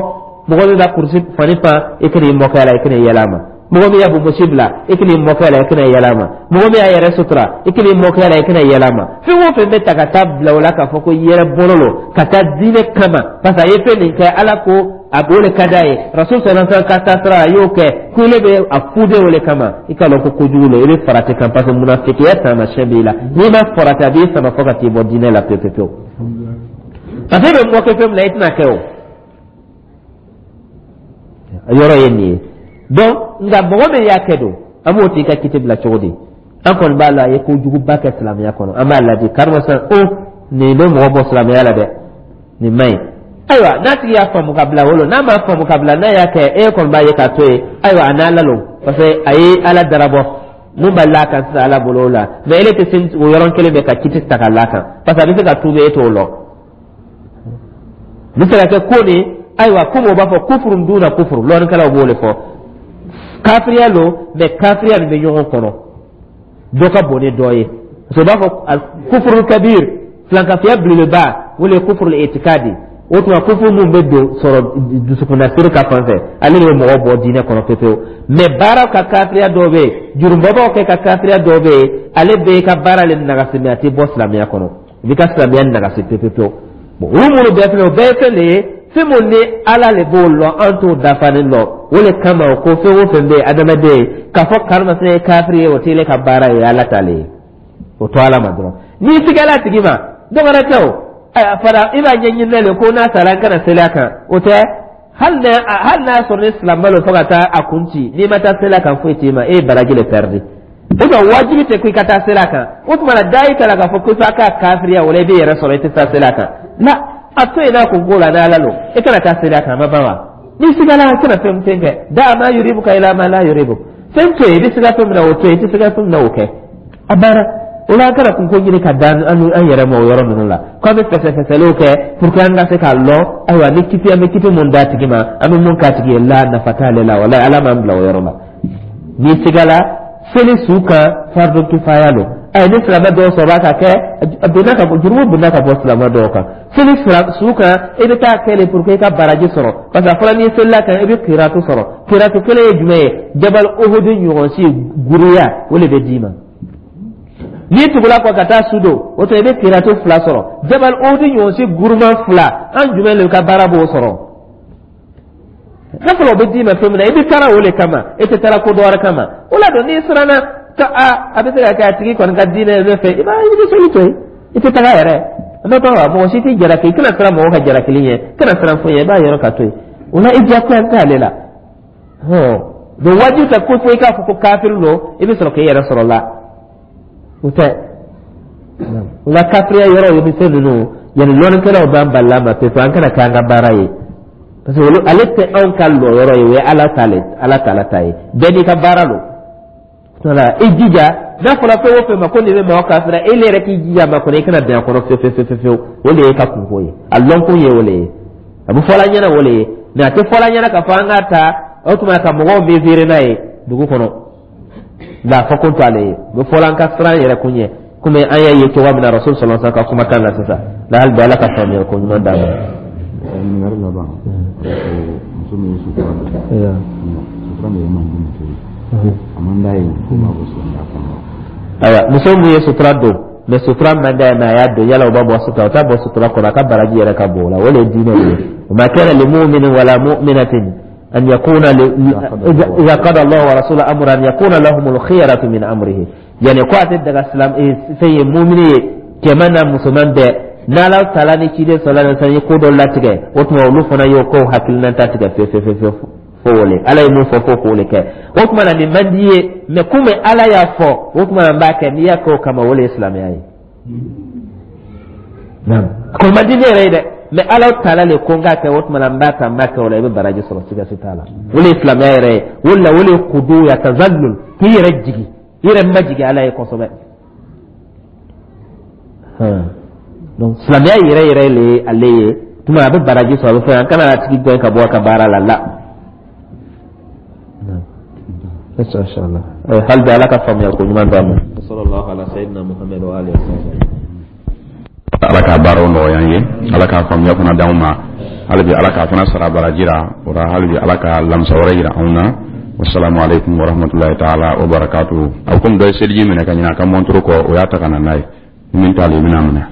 mɔgɔ min b'a kurusi fani fan, i kana i mɔkɛ a la, i kana i yɛlɛ a ma. Mɔgɔ min y'a bonbosi bila, i kana i mɔkɛ a la, i kana yɛlɛ a ma. Mɔgɔ min y'a yɛrɛ sutura, i kana i mɔkɛ a la, i kana yɛlɛ a ma. Fɛn o fɛn bɛ ta ka taa bila o la k'a fɔ ko yɛrɛ bolo lo ka taa diinɛ kama, parce que a ye fɛn min kɛ, Ala ko a b'o de ka d'a ye, Rasul sallallahu alaihi wasallam ka taa sira a y'o kɛ, ko ile bɛ a fude o de kama, i k'a lɔn ko kojugu lo, i bɛ farati kan, parce que munafikiya taamasiyɛn b'i la. N'i ma farati, a b'i sama fo ka t'i bɔ diinɛ la pewu pewu pewu, parce que e bɛ mɔkɛ fɛn min na, i tɛna kɛ o yɔrɔ ye nin ye. Donc nka mɔgɔ min y'a kɛ don, an b'o tigi ka kiti bila cogo di? An kɔni b'a la, a ye kojuguba kɛ silamɛya kɔnɔ, an b'a ladi karimasina o nin bɛ mɔgɔ bɔ silamɛya la dɛ, nin man ɲi. Ayiwa, n'a tigi y'a faamu ka bila wolo, n'a m'a faamu ka bila, n'a y'a kɛ, e kɔni b'a ye k'a to yen. Ayiwa, a n'a lalo, parce que a ye Ala darabɔ mun b'a la kan sisan, Ala bolo o la. Mɛ ele tɛ se o yɔrɔ kelen bɛ ka kiti ta ka la kan, parce que a bɛ se ka tuubi, e t'o lɔ. N bɛ se ka kɛ ko nin, ayiwa, komi o b'a fɔ kufuru duna kufuru, lɔnnikɛlaw b'o de fɔ, kafiriya lo, mɛ kafiriya nin bɛ ɲɔgɔn kɔnɔ, dɔ ka bon ni dɔ ye, parce que u b'a fɔ kufuru kabir, filankafiya belebeleba, o le ye kufuru itikadi. O tuma kufuru mun bɛ don sɔrɔ dusukunnasiri ka fan fɛ, ale de bɛ mɔgɔ bɔ diinɛ kɔnɔ pepewu. Mɛ baara ka kafiriya dɔw bɛ yen, jurumubabaw kɛ ka kafiriya dɔw bɛ yen, ale bɛ ka baara le nagasi, mɛ a tɛ bɔ silamɛya kɔnɔ, i b'i ka silamɛya nagasi pewu pewu. Bon, olu minnu bɛɛ filɛ, o bɛɛ ye fɛn de ye, fɛn mun ni Ala le b'o lɔn, an t'o dafalen lɔn. O le kama o ko fɛn o fɛn bɛ yen, adamaden k'a fɔ karimasina ye kafiri ye, o t'ele ka baara ye, Ala t'ale ye, o to Ala ma dɔrɔn. N'i sigala a tigi ma, dɔ wɛrɛ tɛ o. A fara i b'a ɲɛɲini le ko n'a sara, n kana seli a kan, o tɛ. Hali n'a sɔrɔ ni silamɛ don fo ka taa a kun ci, n'i ma taa seli a kan, foyi t'i ma, e ye baraji le pɛridi. O tuma wajibi tɛ ko i ka taa seli a kan. O tuma na da i ta la k'a fɔ ko f'a ka kafiriya, o la i b'i yɛrɛ sɔrɔ i tɛ taa seli a kan la, a to yen n'a kun ko la n'Ala lo, i kana taa seli a kan, a ma ban wa? N'i sigala, i kana fɛn fɛn kɛ, da ma yuribuka ila ma la yuribu, fɛn to yen, i bɛ siga fɛn min na, o to yen, i tɛ siga fɛn min na, o kɛ, a banna. O la an kana kunko ɲini ka da an yɛrɛ ma o yɔrɔ ninnu la, k'an bɛ fɛsɛfɛsɛliw kɛ pour que an ka se k'a lɔn, ayiwa, ni kiti, an bɛ kiti mun d'a tigi ma, an bɛ mun k'a tigi ye la, nafa t'ale la. Walayi, Ala m'an bila o yɔrɔ la. N'i sigala seli su kan, fardu kifaya don. Ayi, ni silamɛ dɔw sɔrɔ ka kɛ, a donna ka bɔ jurumu, donna ka bɔ silamɛ dɔw kan. Seli su kan, i bɛ taa kɛ de pour que i ka baraji sɔrɔ, parce que a fɔra n'i selila kan, i bɛ kiratu sɔrɔ. Kiratu kelen ye jumɛn ye? Jabal Uhud ɲɔgɔn si guruya, o de bɛ d'i ma. N'i tugula kɔ ka taa su don, o tuma i bɛ kiratu fila sɔrɔ, jabal Uhud ɲɔgɔn si guruman fila. An jumɛn de ka baara b'o sɔrɔ? N'a fɔra o bɛ d'i ma fɛn min na, i bɛ taara o de kama, e tɛ taara ko dɔ wɛrɛ kama. O la don n'i siranna Ka a bɛ se ka kɛ a tigi kɔni ka diinɛ ye ne fɛ, i b'a i bɛ seli to yen, i tɛ taga yɛrɛ. N'o tɛ mɔgɔ si t'i jalaki, i kana siran mɔgɔ ka jalakili ɲɛ, kana siran foyi ɲɛ, i b'a yɔrɔ ka to yen. O la i diyagoya t'ale la. Donc wajibi tɛ ko fo i k'a fɔ ko kafiri don, i bɛ sɔrɔ k'i yɛrɛ sɔrɔ la. O tɛ. O la kafiriya yɔrɔ ye ni fɛn ninnu, yanni lɔnnikɛlaw b'an balila ma pewu, an kana kɛ an ka baara ye. Parce que olu ale tɛ anw ka lɔyɔrɔ ye, o ye Ala ta le, Ala taala ta ye. Bɛɛ n'i ka baara don. Wala i jija, n'a fɔra fɛn o fɛn ma ko nin bɛ mɔgɔ kafira, e yɛrɛ k'i jija ma kɔnɔ i kana bɛn a kɔnɔ fewu fewu fewu fewu. O de ye ka kunko ye, a lɔnkun ye o de ye, a bɛ fɔla ɲɛna o de ye. Mais a tɛ fɔla ɲɛna k'a fɔ an k'a ta o tuma ka mɔgɔw mesurer n'a ye dugu kɔnɔ. Nka a fɔ kun t'ale ye, o bɛ fɔla an ka siran yɛrɛ kun ɲɛ, komi an y'a ye cogoya min na Rasul sallallahu alaihi wasallam ka kumakan na sisan. La hali bi Ala ka faamuya ko ɲuman d'an ma. Ɲininkali laban, muso min ye sutura don, sutura min yɛrɛ man di muso ye, a man d'a ye, ko b'a bɔ silamɛya kɔnɔ? Ayiwa, muso min ye sutura don, mais sutura man d'a ye, mais a y'a don, yala o b'a bɔ sutura? O t'a bɔ sutura kɔnɔ, a ka baraji yɛrɛ ka bon o la. O de ye diinɛ ye. Wa ma kana li mu'minin wala mu'minatin an yakuna idha qada Allahu wa rasuluhu amran an yakuna lahumul khiyaratu min amrihi. Yani ko a tɛ daga silam fɛn ye, mumini ye, cɛman n'a musoman bɛɛ, n'Ala taala ni ciden sallallahu alaihi wasallam ye ko dɔ latigɛ, o tuma olu fana y'o kow hakilinata tigɛ fewu fewu fewu fo o le Ala ye mun fɔ, fo k'o le kɛ. O tuma na nin man di ye, mais komi Ala y'a fɔ, o tuma na n b'a kɛ. N'i y'a kɛ o kama, o le ye silamɛya ye. Naam, ko man di ne yɛrɛ ye dɛ, mais Ala taala le ko n k'a kɛ, o tuma na n b'a ta, n b'a kɛ o la, i bɛ baraji sɔrɔ, siga si t'a la. O le ye silamɛya yɛrɛ ye. O de la o le ye kudu ya tazallul, k'i yɛrɛ jigi, i yɛrɛ majigi Ala ye kosɛbɛ. Donc silamɛya yɛrɛ yɛrɛ le ye ale ye. Tuma a bɛ baraji sɔrɔ, a bɛ fɛn, an kana a tigi gɛn ka bɔ a ka baara la la. Inshallah. Hali bi Ala ka faamuya ko ɲuman d'an ma. Sallallahu ala sayyidina Muhammad wa alihi wa sallam. Ala k'a baaraw nɔgɔya an ye, Ala k'a faamuya fana d'anw ma. Hali bi Ala k'a fana sara baraji la o la. Hali bi Ala ka lamisa wɛrɛ yira anw na. Wasalamu aleykum warahmatulahi taala wa barakatuhu. A komi dɔ ye seliji minɛ ka ɲinɛ a ka mɔntoro kɔ, o y'a ta ka na n'a ye. Ni min t'ale, i bɛna minɛ.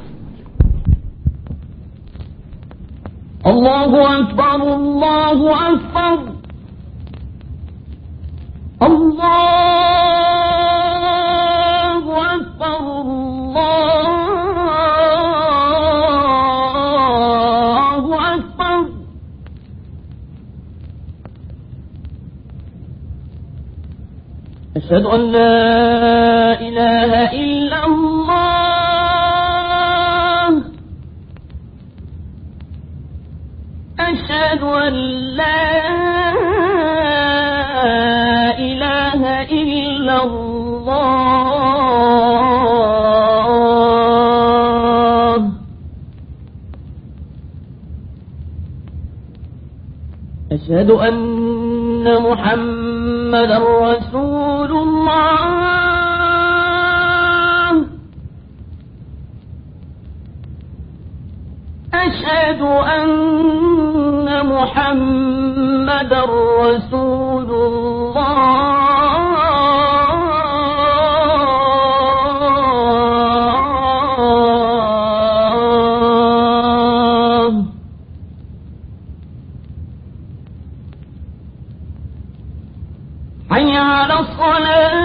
الله أكبر الله أكبر الله أكبر الله أكبر أشهد أن لا إله إلا الله أشهد أن لا إله إلا الله أشهد أن محمدا رسول الله أشهد أن محمدا رسول الله حي على الصلاة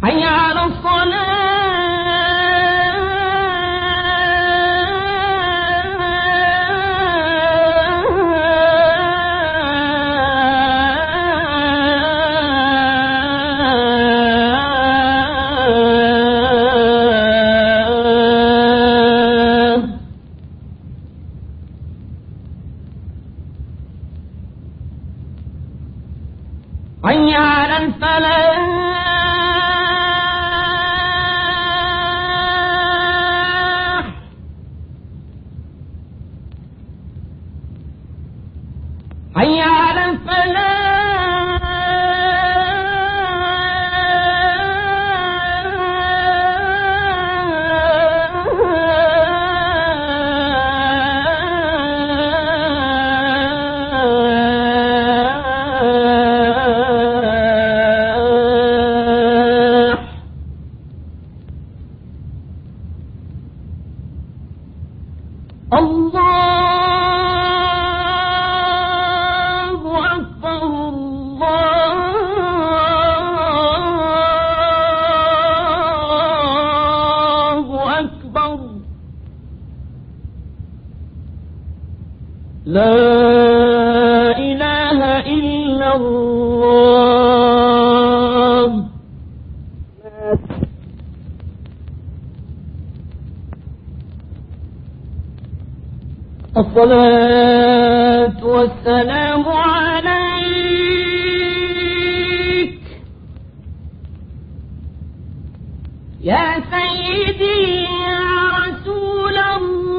حي على الصلاة حي على الفلاح حي على الفلاح. لا إله إلا الله. الصلاة والسلام عليك يا سيدي يا رسول الله.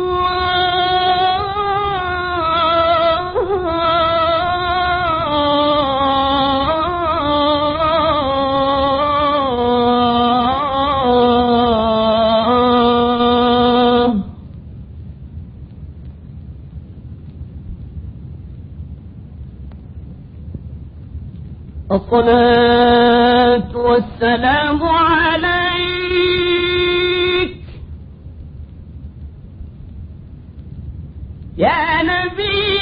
الصلاة والسلام عليك يا نبي.